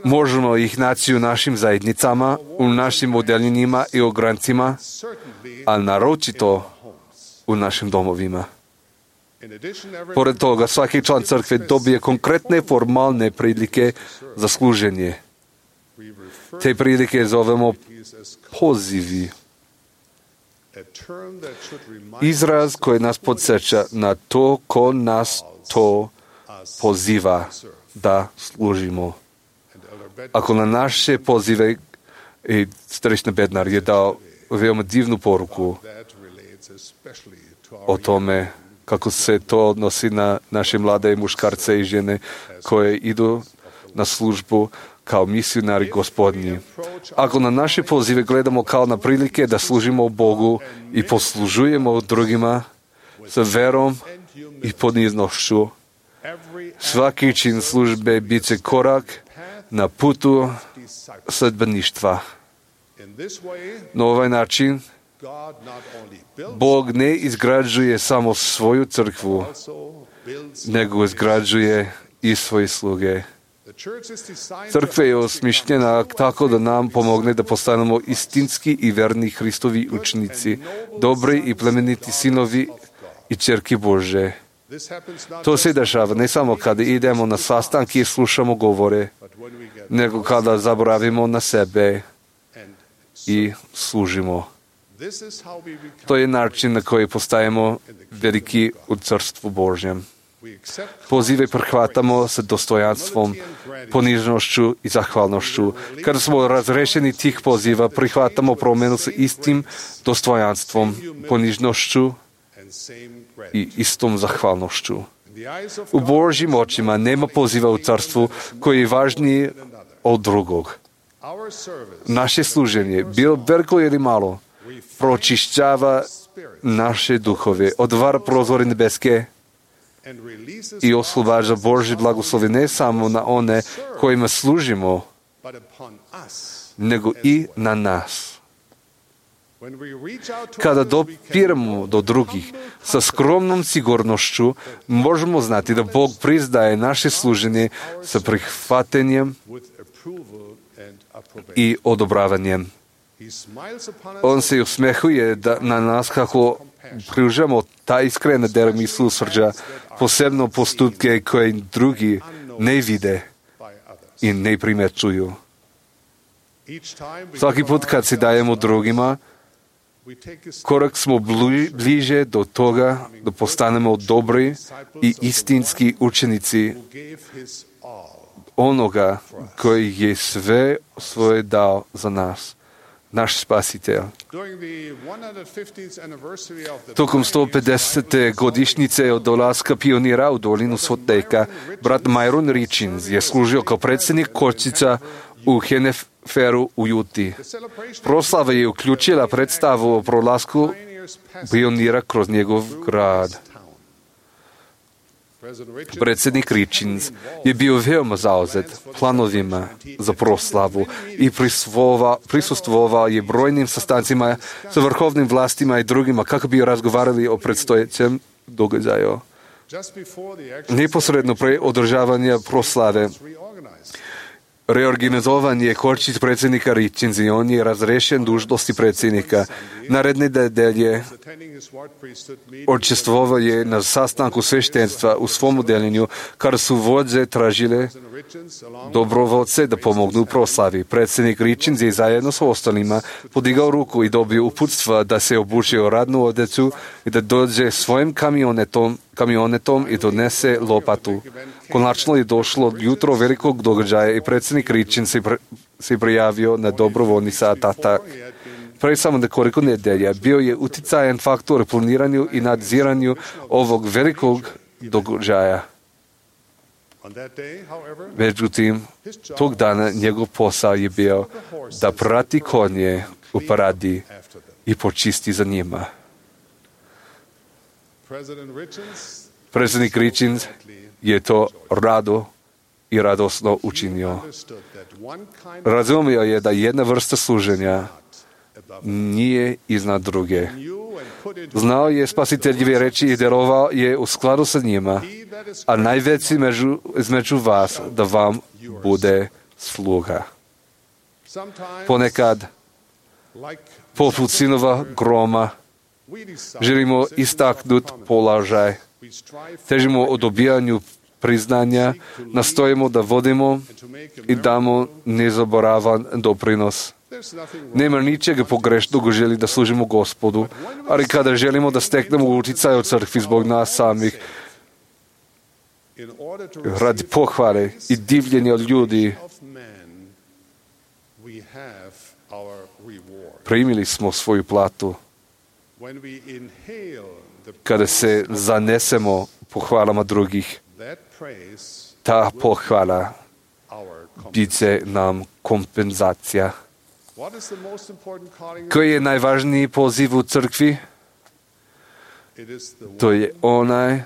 Možemo ih naći u našim zajednicama, u našim odeljenjima i ograncima, a naročito u našim domovima. Pored toga, svaki član crkve dobije konkretne formalne prilike za služenje. Te prilike zovemo pozivi. Izraz koji nas podsjeća na to ko nas to poziva da služimo. Ako na naše pozive, i Starešina Bednar je dao veoma divnu poruku o tome kako se to odnosi na naše mlade muškarce i žene koje idu na službu kao misionari Gospodnji. Ako na naše pozive gledamo kao na prilike da služimo Bogu i poslužujemo drugima sa verom i poniznošću, svaki čin službe bit će korak na putu sledbeništva. Na ovaj način Bog ne izgrađuje samo svoju crkvu, nego izgrađuje i svoje sluge. Crkva je osmišljena tako da nam pomogne da postanemo istinski i verni Hristovi učenici, dobri i plemeniti sinovi i ćerke Bože. To se dešava ne samo kada idemo na sastanke i slušamo govore, nego kada zaboravimo na sebe i služimo. To je način na koji postajemo veliki u Carstvu Božjem. Pozive prihvatamo sa dostojanstvom, ponižnošću i zahvalnošću. Kada smo razrešeni tih poziva, prihvatamo promjenu sa istim dostojanstvom, ponižnošću i istom zahvalnošću. U Božjim očima nema poziva u carstvu koji je važniji od drugog. Naše služenje, bilo veliko ili malo, pročišćava naše duhove, otvara prozore nebeske i oslobađa Božje blagoslovi ne samo na one kojima služimo, nego i na nas. Kada dopiramo do drugih sa skromnom sigurnošću, možemo znati da Bog priznaje naše služenje sa prihvatanjem i odobravanjem. On se usmehuje na nas kako pružamo ta iskrena dela milosrđa, posebno postupke koje drugi ne vide i ne primećuju. Svaki put kad se dajemo drugima, korak smo bliže do toga da postanemo dobri i istinski učenici onoga koji je sve svoje dao za nas, naš spasitelj. Tokom 150. godišnjice od dolaska pionira u dolinu Soteka, brat Myron Richins je služio kao predsjednik kočica u Heneferu u Juti. Proslava je uključila predstavu o prolasku pionira kroz njegov grad. Predsjednik Richins je bio veoma zauzet planovima za proslavu i prisustvovao je brojnim sastancima sa vrhovnim vlastima i drugima kako bi razgovarali o predstojećem događaju. Neposredno pre održavanja proslave reorganizovan je korčić predsjednika Richins i on je razrešen dužnosti predsjednika. Naredne nedelje učestvovao je na sastanku sveštenstva u svom udeljenju, kada su vođe tražile dobrovoljce da pomognu u proslavi. Predsjednik Richins je zajedno s ostalima podigao ruku i dobio uputstva da se obuče u radnu odeću i da dođe svojim kamionetom i donese lopatu. Konačno je došlo jutro velikog događaja i predsjednik Richins se prijavio na dobrovoljni satatak. Pre samo nekoliko nedelja bio je uticajan faktor u planiranju i nadziranju ovog velikog događaja. Međutim, tog dana njegov posao je bio da prati konje u paradi i počisti za njima. Predsjednik Richins je to rado i radosno učinio. Razumio je da jedna vrsta služenja nije iznad druge. Znao je spasiteljeve reči i djelovao je u skladu sa njima, a najveći između vas da vam bude sluga. Ponekad, poput sinova groma, želimo istaknuti položaj, težimo o dobijanju priznanja, nastojimo da vodimo i damo nezaboravan doprinos. Nema ničega pogrešnog u želji da služimo Gospodu, ali kada želimo da steknemo utjecaj u crkvi zbog nas samih, radi pohvale i divljenja od ljudi, primili smo svoju platu. Kada se zanesemo pohvalama drugih, ta pohvala bit će nam kompenzacija. Koji je najvažniji poziv u crkvi? To je onaj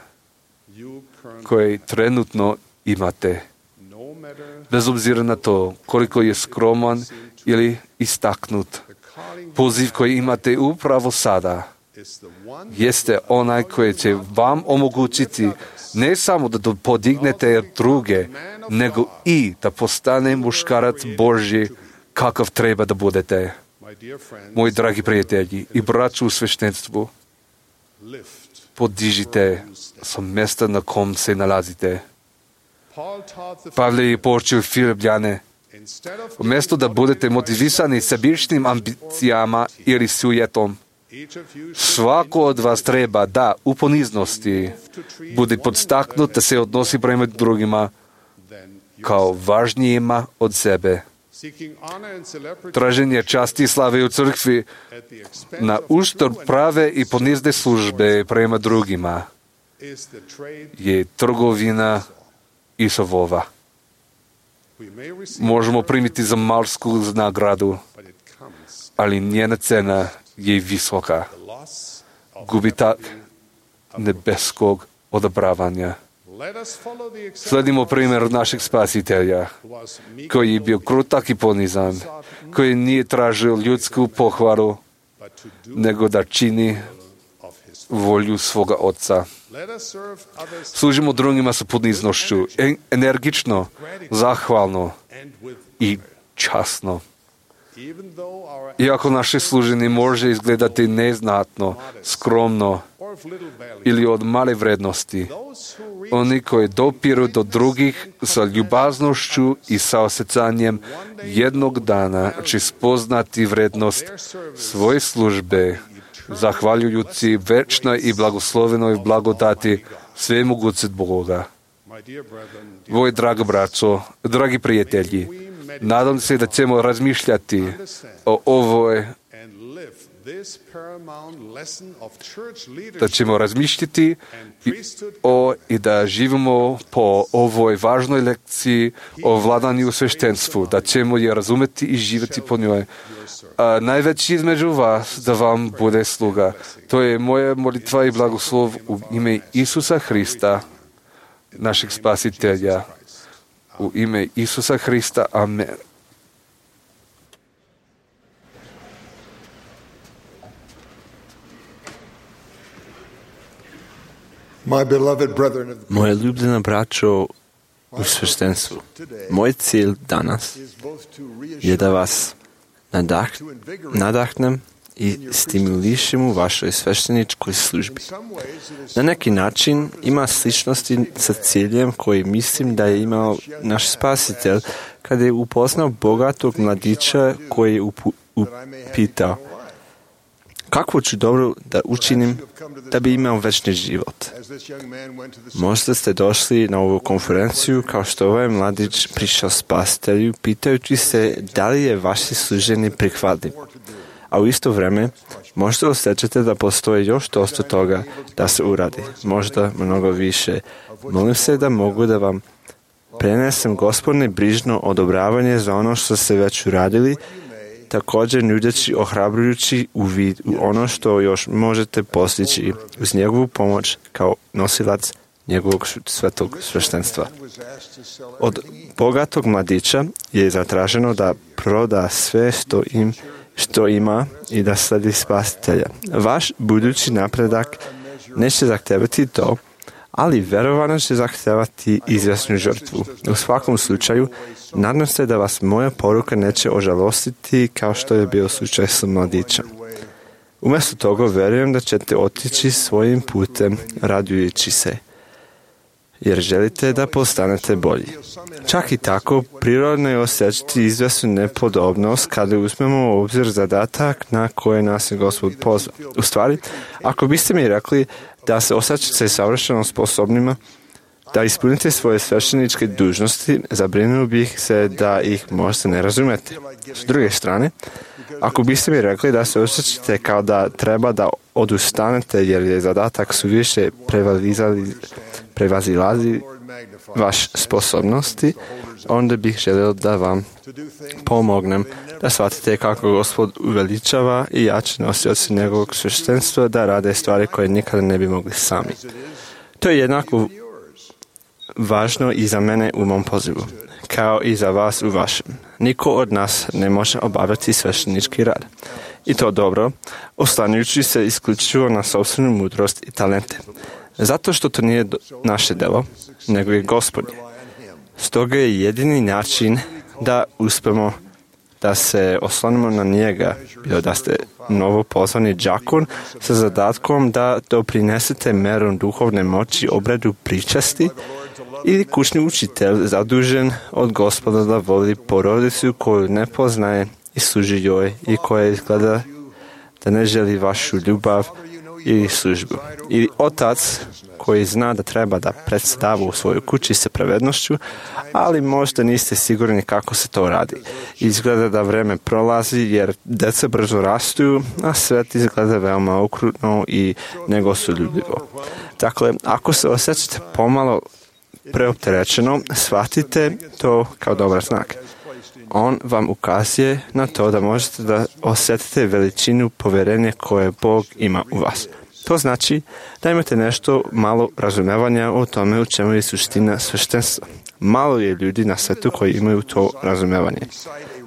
koji trenutno imate. Bez obzira na to koliko je skroman ili istaknut. Poziv koji imate upravo sada jeste onaj koji će vam omogućiti ne samo da podignete druge, nego i da postane muškarac Božji kakav treba da budete. Moji dragi prijatelji i braću u sveštenstvu, podižite sa mjesta na kom se nalazite. Pavle je poučio Filipljane, umjesto da budete motivisani sebičnim ambicijama ili sujetom, svako od vas treba da u poniznosti bude podstaknut da se odnosi prema drugima kao važnijima od sebe. Traženje časti i slave u crkvi na uštrb prave i ponizne službe prema drugima je trgovina Isovova. Možemo primiti za malsku nagradu, ali njena cena je visoka. Gubitak nebeskog odobravanja. Sledimo primjer našeg spasitelja, koji je bio krutak i ponizan, koji nije tražio ljudsku pohvalu, nego da čini volju svoga Oca. Služimo drugima sa poniznošću, energično, zahvalno i časno. Iako naše služenje može izgledati neznatno, skromno ili od male vrednosti, oni koji dopiru do drugih sa ljubaznošću i sa osjećanjem jednog dana će spoznati vrednost svoje službe, zahvaljujući večnoj i blagoslovenoj blagodati svemogućeg Boga. Moji dragi braćo, dragi prijatelji, nadam se da ćemo razmišljati o ovoj, da ćemo razmišljati i da živimo po ovoj važnoj lekciji o vladanju u sveštenstvu, da ćemo je razumeti i živjeti po njoj. A najveći između vas da vam bude sluga. To je moja molitva i blagoslov u ime Isusa Hrista. našeg spasitelja. U ime Isusa Hrista. Amen. Moje ljubljena braćo u sveštenstvu, moj cilj danas je da vas nadahnem i stimulišem u vašoj svešteničkoj službi. Na neki način ima sličnosti sa ciljem koji mislim da je imao naš spasitelj kada je upoznao bogatog mladića koji je upitao: kakvo ću dobro da učinim da bi imao večni život? Možda ste došli na ovu konferenciju kao što ovaj mladić prišao spasitelju pitajući se da li je vaše služenje prihvatljiv. A u isto vrijeme možda osjećate da postoji još dosta toga da se uradi. Možda mnogo više. Molim se da mogu da vam prenesem Gospodne brižno odobravanje za ono što ste već uradili, također nudeći ohrabrujući uvid u ono što još možete postići uz njegovu pomoć kao nosilac njegovog svetog sveštenstva. Od bogatog mladića je zatraženo da proda sve što ima i da sledi spasitelja. Vaš budući napredak neće zahtevati to, ali verovano će zahtevati izvjesnu žrtvu. U svakom slučaju, nadam se da vas moja poruka neće ožalostiti kao što je bio slučaj sa mladićem. Umjesto toga verujem da ćete otići svojim putem radujući se, jer želite da postanete bolji. Čak i tako, prirodno je osjećati izvjesnu nepodobnost kada uzmemo u obzir zadatak na koje nas je Gospod pozvao. U stvari, ako biste mi rekli da se osjećate savršeno sposobnima da ispunite svoje svešteničke dužnosti, zabrinuo bih se da ih možda ne razumete. S druge strane, ako biste mi rekli da se osjećate kao da treba da odustanete jer je zadatak suviše prevazilazi vaš sposobnosti, onda bih želio da vam pomognem da shvatite kako Gospod uveličava i jače nosioci njegovog sveštenstva da rade stvari koje nikada ne bi mogli sami. To je jednako važno i za mene u mom pozivu, kao i za vas u vašem. Niko od nas ne može obavljati sveštenički rad. I to dobro, oslanjajući se isključivo na sopstvenu mudrost i talente. Zato što to nije naše delo, nego je Gospodin. Stoga je jedini način da uspemo da se oslonimo na njega, bilo da ste novo pozvani đakon sa zadatkom da doprinesete merom duhovne moći obredu pričasti, ili kućni učitelj zadužen od Gospoda da voli porodicu koju ne poznaje i služi joj i koja izgleda da ne želi vašu ljubav ili službu. Ili otac koji zna da treba da predstava u svojoj kući sa pravednošću, ali možda niste sigurni kako se to radi. Izgleda da vreme prolazi jer deca brzo rastu, a svet izgleda veoma okrutno i negostoljubivo. Dakle, ako se osjećate pomalo preopterećeno, shvatite to kao dobar znak. On vam ukazuje na to da možete da osjetite veličinu povjerenja koje Bog ima u vas. To znači da imate nešto malo razumevanja o tome u čemu je suština sveštenstva. Malo je ljudi na svijetu koji imaju to razumevanje.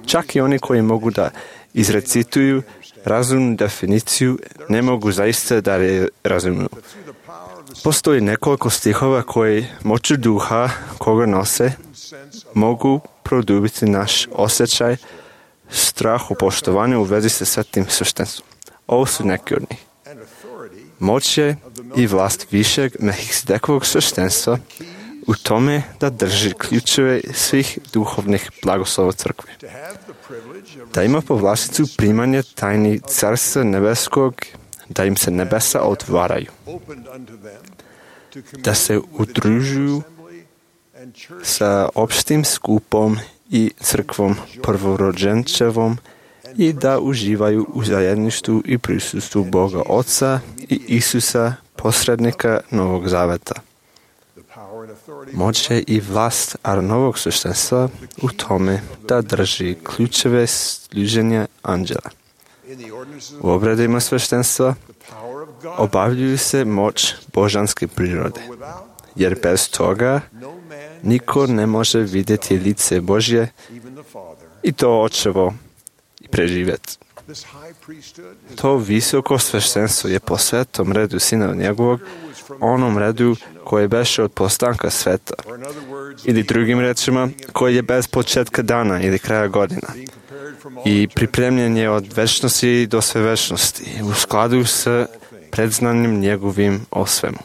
Čak i oni koji mogu da izrecituju razumnu definiciju, ne mogu zaista da je razumiju. Postoji nekoliko stihova koji moću duha koga nose mogu produbiti naš osjećaj strah u poštovanju u vezi sa svetim sveštenstvom. Ovo su neki od njih. Moć je i vlast višeg Melhisedekovog sveštenstva u tome da drži ključeve svih duhovnih blagoslova crkve. Da ima povlasticu primanje tajni Carstva nebeskog, da im se nebesa otvaraju. Da se udružuju sa opštim skupom i crkvom prvorođenčevom i da uživaju u zajedništvu i prisustvu Boga Oca i Isusa, posrednika Novog Zaveta. Moć je i vlast novog sveštenstva u tome da drži ključeve služenja anđela. U obredima sveštenstva obavljuju se moć božanske prirode. jer bez toga niko ne može vidjeti lice Božje i to očevo i preživjeti. To visoko sveštenstvo je po svetom redu Sina njegovog, onom redu koji je beše od postanka sveta, ili drugim rečima, koji je bez početka dana ili kraja godina i pripremljen je od večnosti do sve večnosti u skladu s predznanjem njegovim o svemu.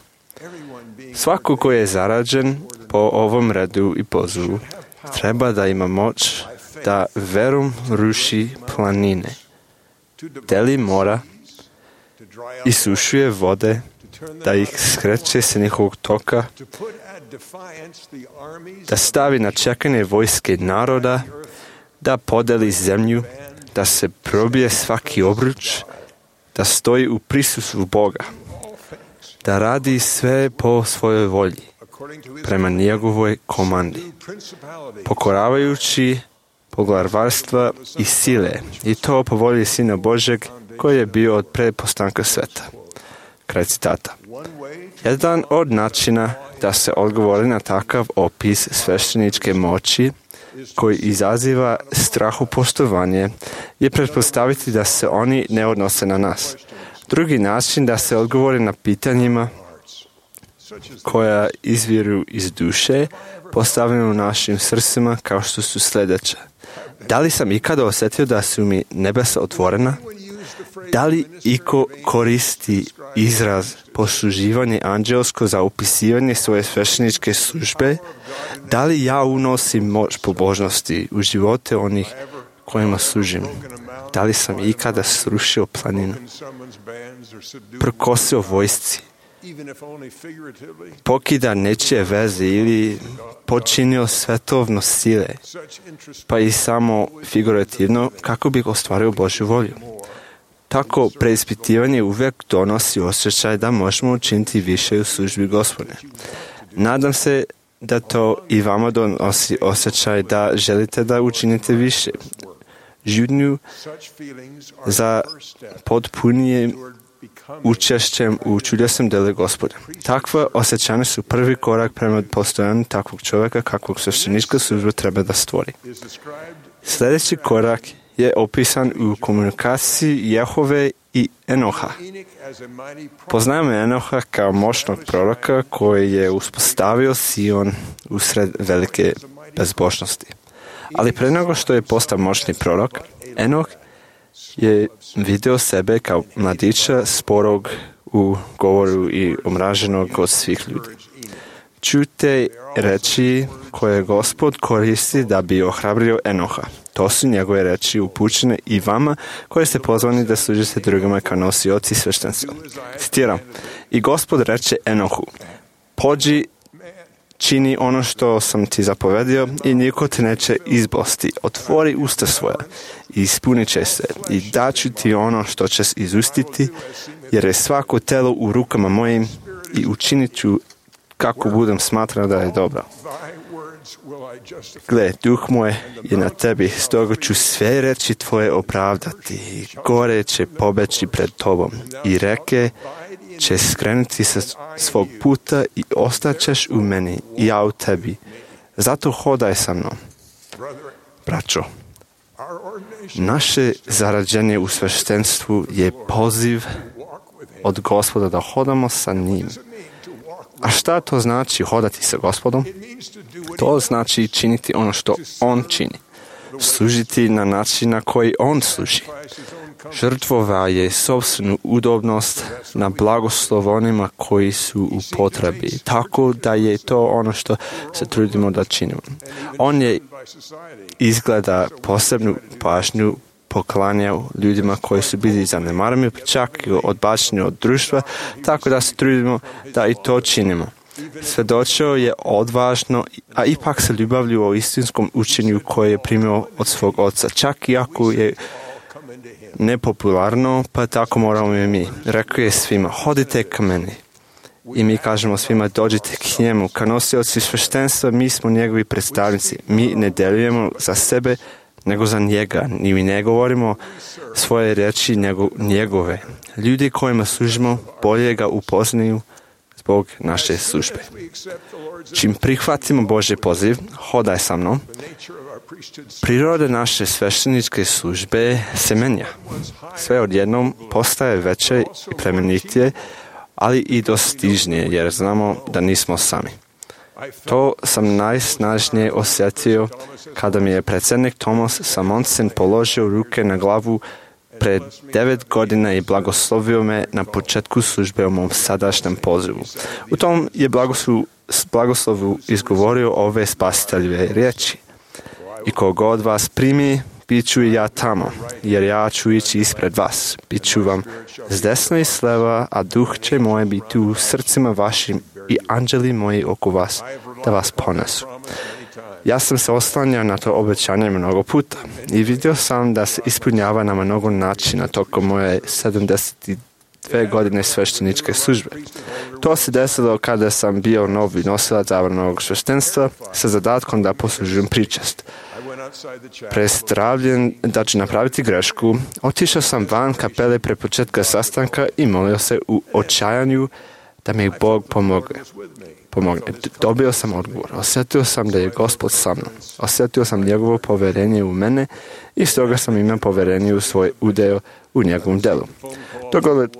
Svako ko je zarađen po ovom redu i pozivu treba da ima moć da verom ruši planine, deli mora, isušuje vode, da ih skreće sa njihovog toka, da stavi na čekanje vojske naroda, da podeli zemlju, da se probije svaki obruč, da stoji u prisustvu Boga, da radi sve po svojoj volji, prema njegovoj komandi, pokoravajući poglavarstva i sile, i to po volji Sina Božeg koji je bio od prepostanka sveta. Kraj citata. Jedan od načina da se odgovori na takav opis svešteničke moći koji izaziva strahopoštovanje je pretpostaviti da se oni ne odnose na nas. Drugi način da se odgovori na pitanjima koja izviru iz duše postavljeno u našim srcima kao što su sljedeće. Da li sam ikada osjetio da su mi nebesa otvorena? Da li iko koristi izraz posluživanje anđelsko za opisivanje svoje svešteničke službe? Da li ja unosim moć pobožnosti u živote onih kojima služim? Da li sam ikada srušio planinu, prkosio vojsci, pokida nečije veze ili počinio svetovno sile, pa i samo figurativno kako bih ostvario Božju volju? Tako preispitivanje uvijek donosi osjećaj da možemo učiniti više u službi Gospodnje. Nadam se da to i vama donosi osjećaj da želite da učinite više. Žudnju za potpunijim učešćem u čudesnom delu Gospoda. Takva osjećanja su prvi korak prema postojanju takvog čovjeka kakvog sveštenička služba treba da stvori. Sljedeći korak je opisan u komunikaciji Jehove i Enoha. Poznajemo Enoha kao moćnog proroka koji je uspostavio Sion usred velike bezbožnosti. Ali pre nego što je postao moćni prorok, Enoh je video sebe kao mladića sporog u govoru i omraženog od svih ljudi. Čujte reči koje Gospod koristi da bi ohrabrio Enoha. To su njegove reči upućene i vama koje ste pozvani da služite drugima kao nosioci sveštenstva. Citiram. I Gospod reče Enohu, pođi, čini ono što sam ti zapovedio i niko te neće izbosti. Otvori usta svoja i ispunit će se i daću ti ono što ćeš izustiti, jer je svako telo u rukama mojim i učinit ću kako budem smatrao da je dobro. Gle, duh moj je na tebi, stoga ću sve reči tvoje opravdati. Gore će pobeći pred tobom i reke će skrenuti sa svog puta i ostaćeš u meni i ja u tebi. Zato hodaj sa mnom. Braćo, naše zarađenje u sveštenstvu je poziv od Gospoda da hodamo sa njim. A šta to znači hodati sa Gospodom? To znači činiti ono što On čini. Služiti na način na koji On služi. Žrtvova je sopstvenu udobnost na blagoslov onima koji su u potrebi. Tako da je to ono što se trudimo da činimo. On je izgleda posebnu pažnju poklanjao ljudima koji su bili zanemareni, čak i odbačeni od društva, tako da se trudimo da i to činimo. Svedočio je odvažno, a ipak se ljubavlju o istinskom učenju koje je primio od svog oca, čak i ako je nepopularno, pa tako moramo i mi. Rekao je svima, hodite ka meni. I mi kažemo svima, dođite k njemu. Kao nosioci sveštenstva, mi smo njegovi predstavnici. Mi ne delujemo za sebe, nego za njega. Ni mi ne govorimo svoje reči, nego njegove. Ljudi kojima služimo bolje ga upoznaju zbog naše službe. Čim prihvatimo Božji poziv, hodaj sa mnom, priroda naše svešteničke službe se menja. Sve odjednom postaje veće i plemenitije, ali i dostižnije, jer znamo da nismo sami. To sam najsnažnije osjetio kada mi je predsjednik Thomas Samonsen položio ruke na glavu pred 9 godina i blagoslovio me na početku službe u mom sadašnjem pozivu. U tom je blagoslovu izgovorio ove spasiteljeve riječi. I koga od vas primi, bit ću i ja tamo, jer ja ću ići ispred vas. Bit ću vam s desna i s leva, a duh će moje biti u srcima vašim i anđeli moji oko vas, da vas ponesu. Ja sam se oslanjao na to obećanje mnogo puta i vidio sam da se ispunjava na mnogo načina tokom moje 72 godine svešteničke službe. To se desilo kada sam bio novi nosilac zabranog sveštenstva sa zadatkom da poslužujem pričest. Prestravljen da ću napraviti grešku, otišao sam van kapele pre početka sastanka i molio se u očajanju da mi Bog pomogne. Dobio sam odgovor. Osjetio sam da je Gospod sa mnom. Osjetio sam njegovo povjerenje u mene i stoga sam imao povjerenje u svoj udeo u njegovom delu.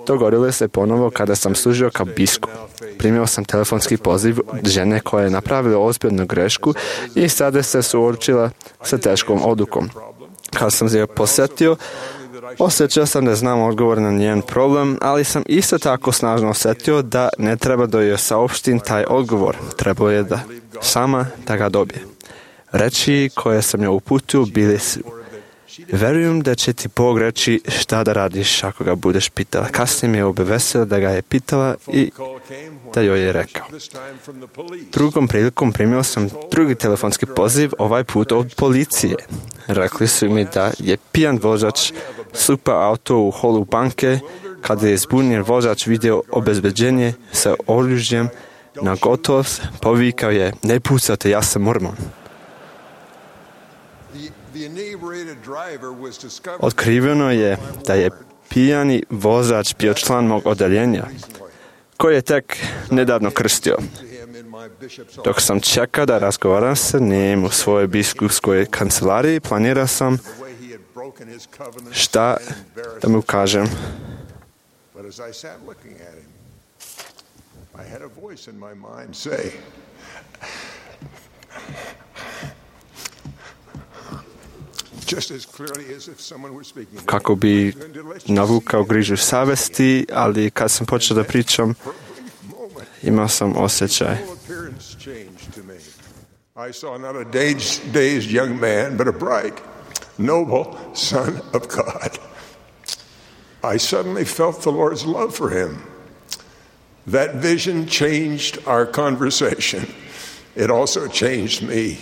Dogodilo se ponovo kada sam služio kao biskup. Primio sam telefonski poziv žene koja je napravila ozbiljnu grešku i sada se suočila sa teškom odlukom. Kad sam je posjetio, osjećao sam da znam odgovor na njen problem, ali sam isto tako snažno osjetio da ne treba da joj saopštim taj odgovor. Trebalo je da sama da ga dobije. Reči koje sam joj uputio bili su: verujem da će ti Bog reći šta da radiš ako ga budeš pitala. Kasnije mi je obavestila da ga je pitala i da joj je rekao. Drugom prilikom primio sam drugi telefonski poziv, ovaj put od policije. Rekli su mi da je pijan vozač slupao auto u holu banke. Kada je zbunjen vozač vidio obezbeđenje sa oružjem na gotovost, povikao je: ne pucate, ja sam mormon. Otkriveno je da je pijani vozač bio član mog odeljenja, koji je tek nedavno krstio. Dok sam čekao da razgovaram sa njim u svojoj biskupskoj kancelariji, planirao sam šta da mu kažem. Kako bi navukao grižu savesti, ali kad sam počeo da pričam, imao sam osjećaj. I saw not a dazed young man, but a bright, noble son of God. I suddenly felt the Lord's love for him. That vision changed our conversation. It also changed me.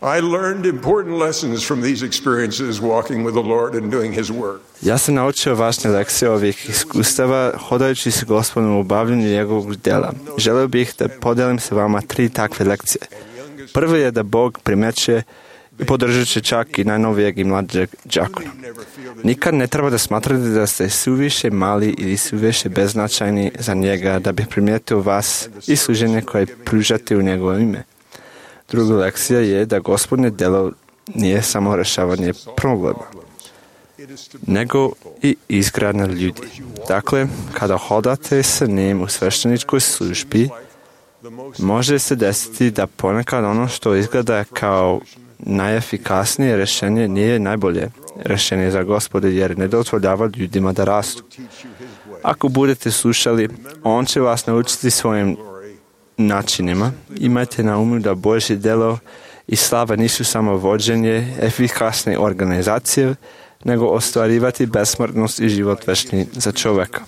I learned important lessons from these experiences walking with the Lord and doing His work. Ja sam naučio važne lekcije ovih iskustava hodajući se Gospodom u obavljanju njegovog djela. Želeo bih da podelim se vama 3 takve lekcije. Prvo je da Bog primeće i podržat će čak i najnovijeg i mlađeg đakona. Nikad ne treba da smatrate da ste suviše mali ili suviše beznačajni za njega da bi primijetio vas i služenje koje pružate u njegovo ime. Druga lekcija je da Gospodnje djelo nije samo rješavanje problema, nego i izgradnja ljudi. Dakle, kada hodate sa njim u svešteničkoj službi, može se desiti da ponekad ono što izgleda kao najefikasnije rješenje nije najbolje rješenje za Gospode, jer ne dozvoljava ljudima da rastu. Ako budete slušali, on će vas naučiti svojim načinima. Imajte na umu da Božje djelo i slava nisu samo vođenje efikasne organizacije, nego ostvarivati besmrtnost i život večni za čovjeka.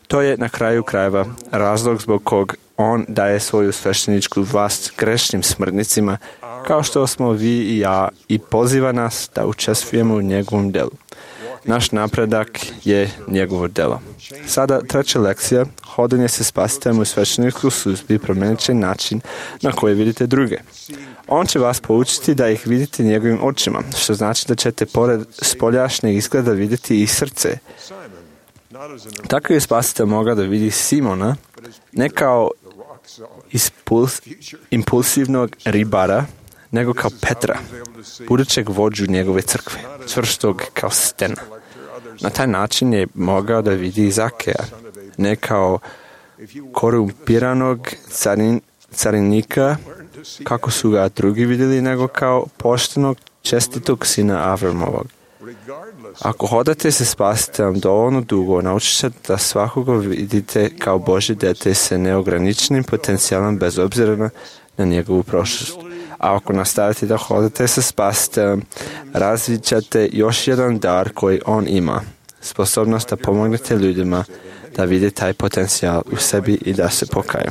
To je na kraju krajeva razlog zbog kog on daje svoju svešteničku vlast grešnim smrtnicima, kao što smo vi i ja, i poziva nas da učestvujemo u njegovom djelu. Naš napredak je njegovo djelo. Sada 3. lekcija, hodanje se spasiteljem u svešteničkoj službi promijenit će način na koji vidite druge. On će vas poučiti da ih vidite njegovim očima, što znači da ćete pored spoljašnjeg izgleda vidjeti i srce. Tako je spasitelj mogao da vidi Simona, ne kao impulsivnog ribara, nego kao Petra, budućeg vođu njegove crkve, čvrstog kao stena. Na taj način je mogao da vidi Zakeja, ne kao korumpiranog carinika, kako su ga drugi vidjeli, nego kao poštenog, čestitog sina Avramovog. Ako hodate se spasiteljem dovoljno dugo, naučit ćete da svakoga vidite kao Božje dete sa neograničenim potencijalom bez obzira na njegovu prošlost. A ako nastavite da hodate sa spasiteljem, razvit ćete još jedan dar koji on ima. Sposobnost da pomognete ljudima da vide taj potencijal u sebi i da se pokaju.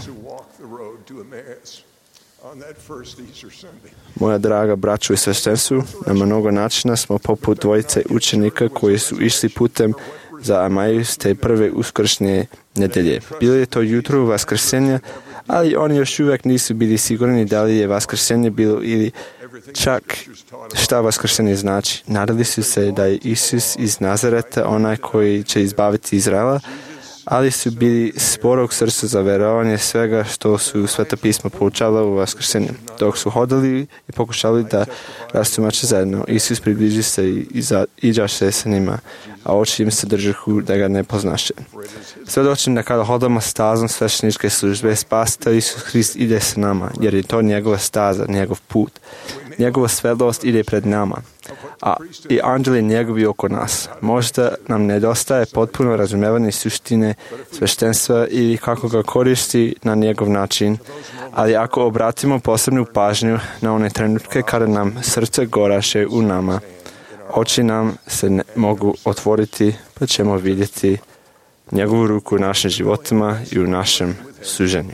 Moja draga braćo i sveštenstvu, na mnogo načina smo poput dvojice učenika koji su išli putem za Emajus te prve uskršnje nedelje. Bilo je to jutro Vaskrsenja, ali oni još uvijek nisu bili sigurni da li je Vaskrsenje bilo ili čak šta Vaskrsenje znači. Nadali su se da je Isus iz Nazareta onaj koji će izbaviti Izraela, ali su bili sporog srca za verovanje svega što su Sveta pisma poučala u Vaskrsenju. Dok su hodali i pokušali da rastumače zajedno, Isus približi se i iđaše sa njima, a oči im se držahu da ga ne poznaše. Svedočim da kada hodamo stazom svešteničke službe, Spasitelj Isus Hrist ide sa nama, jer je to njegova staza, njegov put. Njegova svetlost ide pred nama, a i anđeli njegovi oko nas. Možda nam nedostaje potpuno razumevanje suštine sveštenstva ili kako ga koristi na njegov način, ali ako obratimo posebnu pažnju na one trenutke kada nam srce goraše u nama, oči nam se mogu otvoriti, pa ćemo vidjeti njegovu ruku u našim životima i u našem suženju.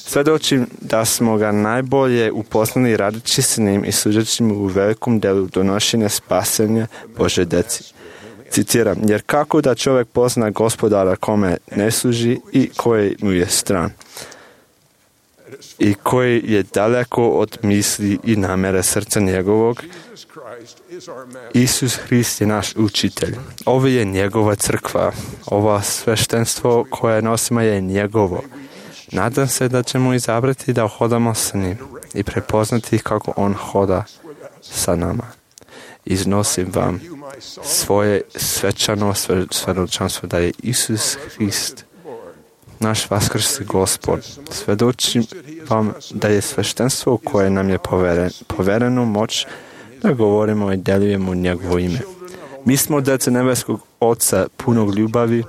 Svedočim da smo ga najbolje upoznali radeći s njim i služeći mu u velikom delu donošenja spasenja Božje deci. Citiram, jer kako da čovjek pozna Gospodara kome ne služi i koji mu je stran i koji je daleko od misli i namjere srca njegovog. Isus Hrist je naš učitelj. Ovo je njegova crkva. Ovo sveštenstvo koje nosimo je njegovo. Nadam se da ćemo izabrati da hodamo sa njim i prepoznati kako on hoda sa nama. Iznosim vam svoje svečano svedočanstvo da je Isus Hrist naš vaskrsli Gospod. Svedočim vam da je sveštenstvo koje nam je povereno moć da govorimo i delujemo njegovo ime. Mi smo djeca nebeskog Oca punog ljubavi,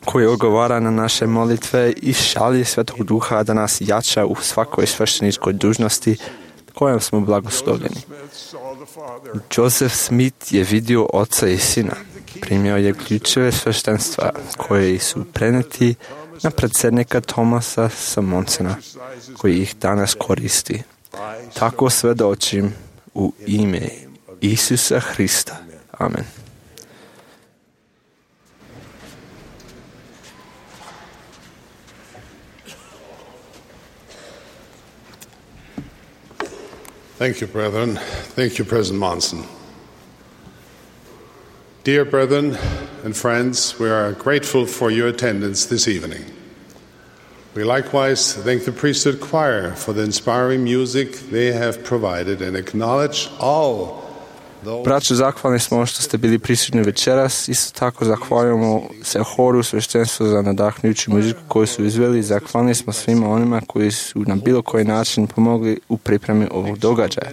koji odgovara na naše molitve i šalje Svetog Duha da nas jača u svakoj svešteničkoj dužnosti kojom smo blagoslovljeni. Joseph Smith je vidio Oca i Sina. Primio je ključeve sveštenstva koji su preneti na predsjednika Thomasa Samonsena, koji ih danas koristi. Tako svedočim u ime Isusa Hrista. Amen. Thank you, brethren. Thank you, President Monson. Dear brethren and friends, we are grateful for your attendance this evening. We likewise thank the priesthood choir for the inspiring music they have provided and acknowledge all Braćo, zahvalni smo što ste bili prisutni večeras. Isto tako zahvaljujemo se horu sveštenstva za nadahnjuću muziku koju su izveli. Zahvalni smo svima onima koji su na bilo koji način pomogli u pripremi ovog događaja.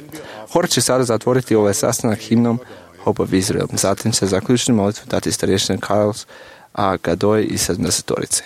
Hor će sada zatvoriti ovaj sastanak himnom Hope of Israel. Zatim će zaključnu molitvu dati starješten Carlos A. Gadoj i 70-torice.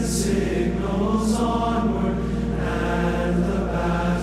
Signals onward and the battle.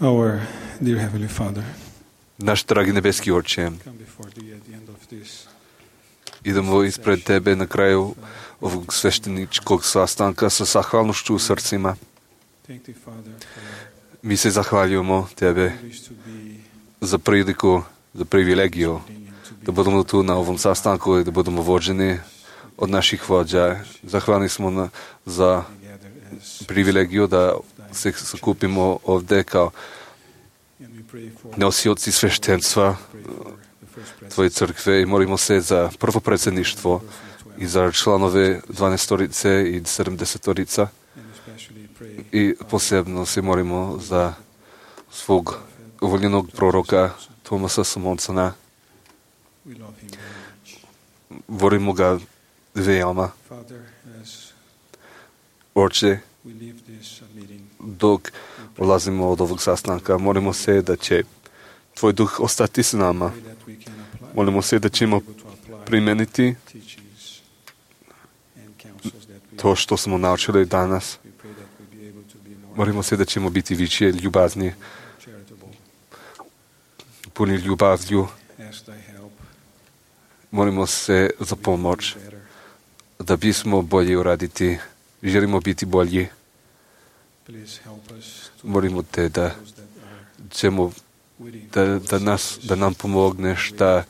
Our dear Heavenly Father, Naš dragi nebeski Oče, idemo ispred Tebe na kraju ovog svešteničkog sastanka sa zahvalnošću u srcima. Mi se zahvaljujemo Tebe za priliku, za privilegiju da budemo tu na ovom sastanku i da budemo vođeni od naših vođa. Zahvalni smo za privilegiju da se sakupimo ovdje kao nosioci sveštenstva Tvoje crkve i molimo se za prvo predsjedništvo i za članove 12-torice i 70-torica i posebno se molimo za svog uvoljenog proroka Tomasa Samonsona. Volimo ga veoma. Oče, dok ulazimo od ovog sastanka, molimo se da će Tvoj duh ostati s nama. Molimo se da ćemo primeniti to što smo naučili danas. Molimo se da ćemo biti više ljubazni, puni ljubavlju. Molimo se za pomoć da bismo bolje uraditi. Želimo biti bolji. Molimo Te da nam pomogneš, da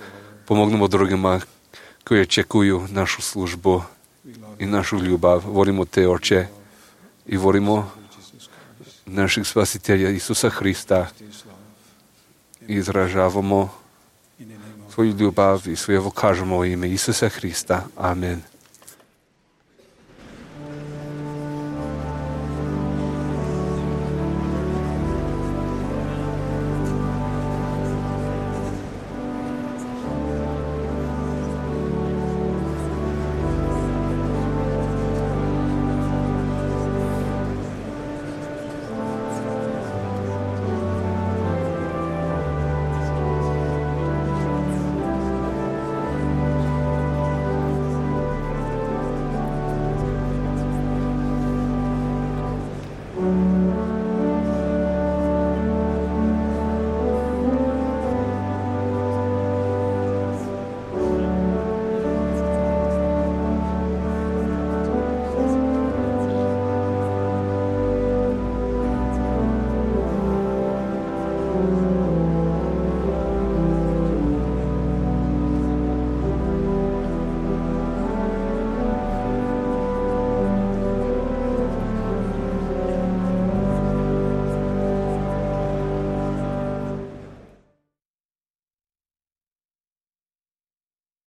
pomognemo drugima koji očekuju našu službu i našu ljubav. Volimo Te, Oče, i volimo našeg spasitelja Isusa Hrista i izražavamo svoju ljubav i svoje kažemo u ime Isusa Hrista. Amen.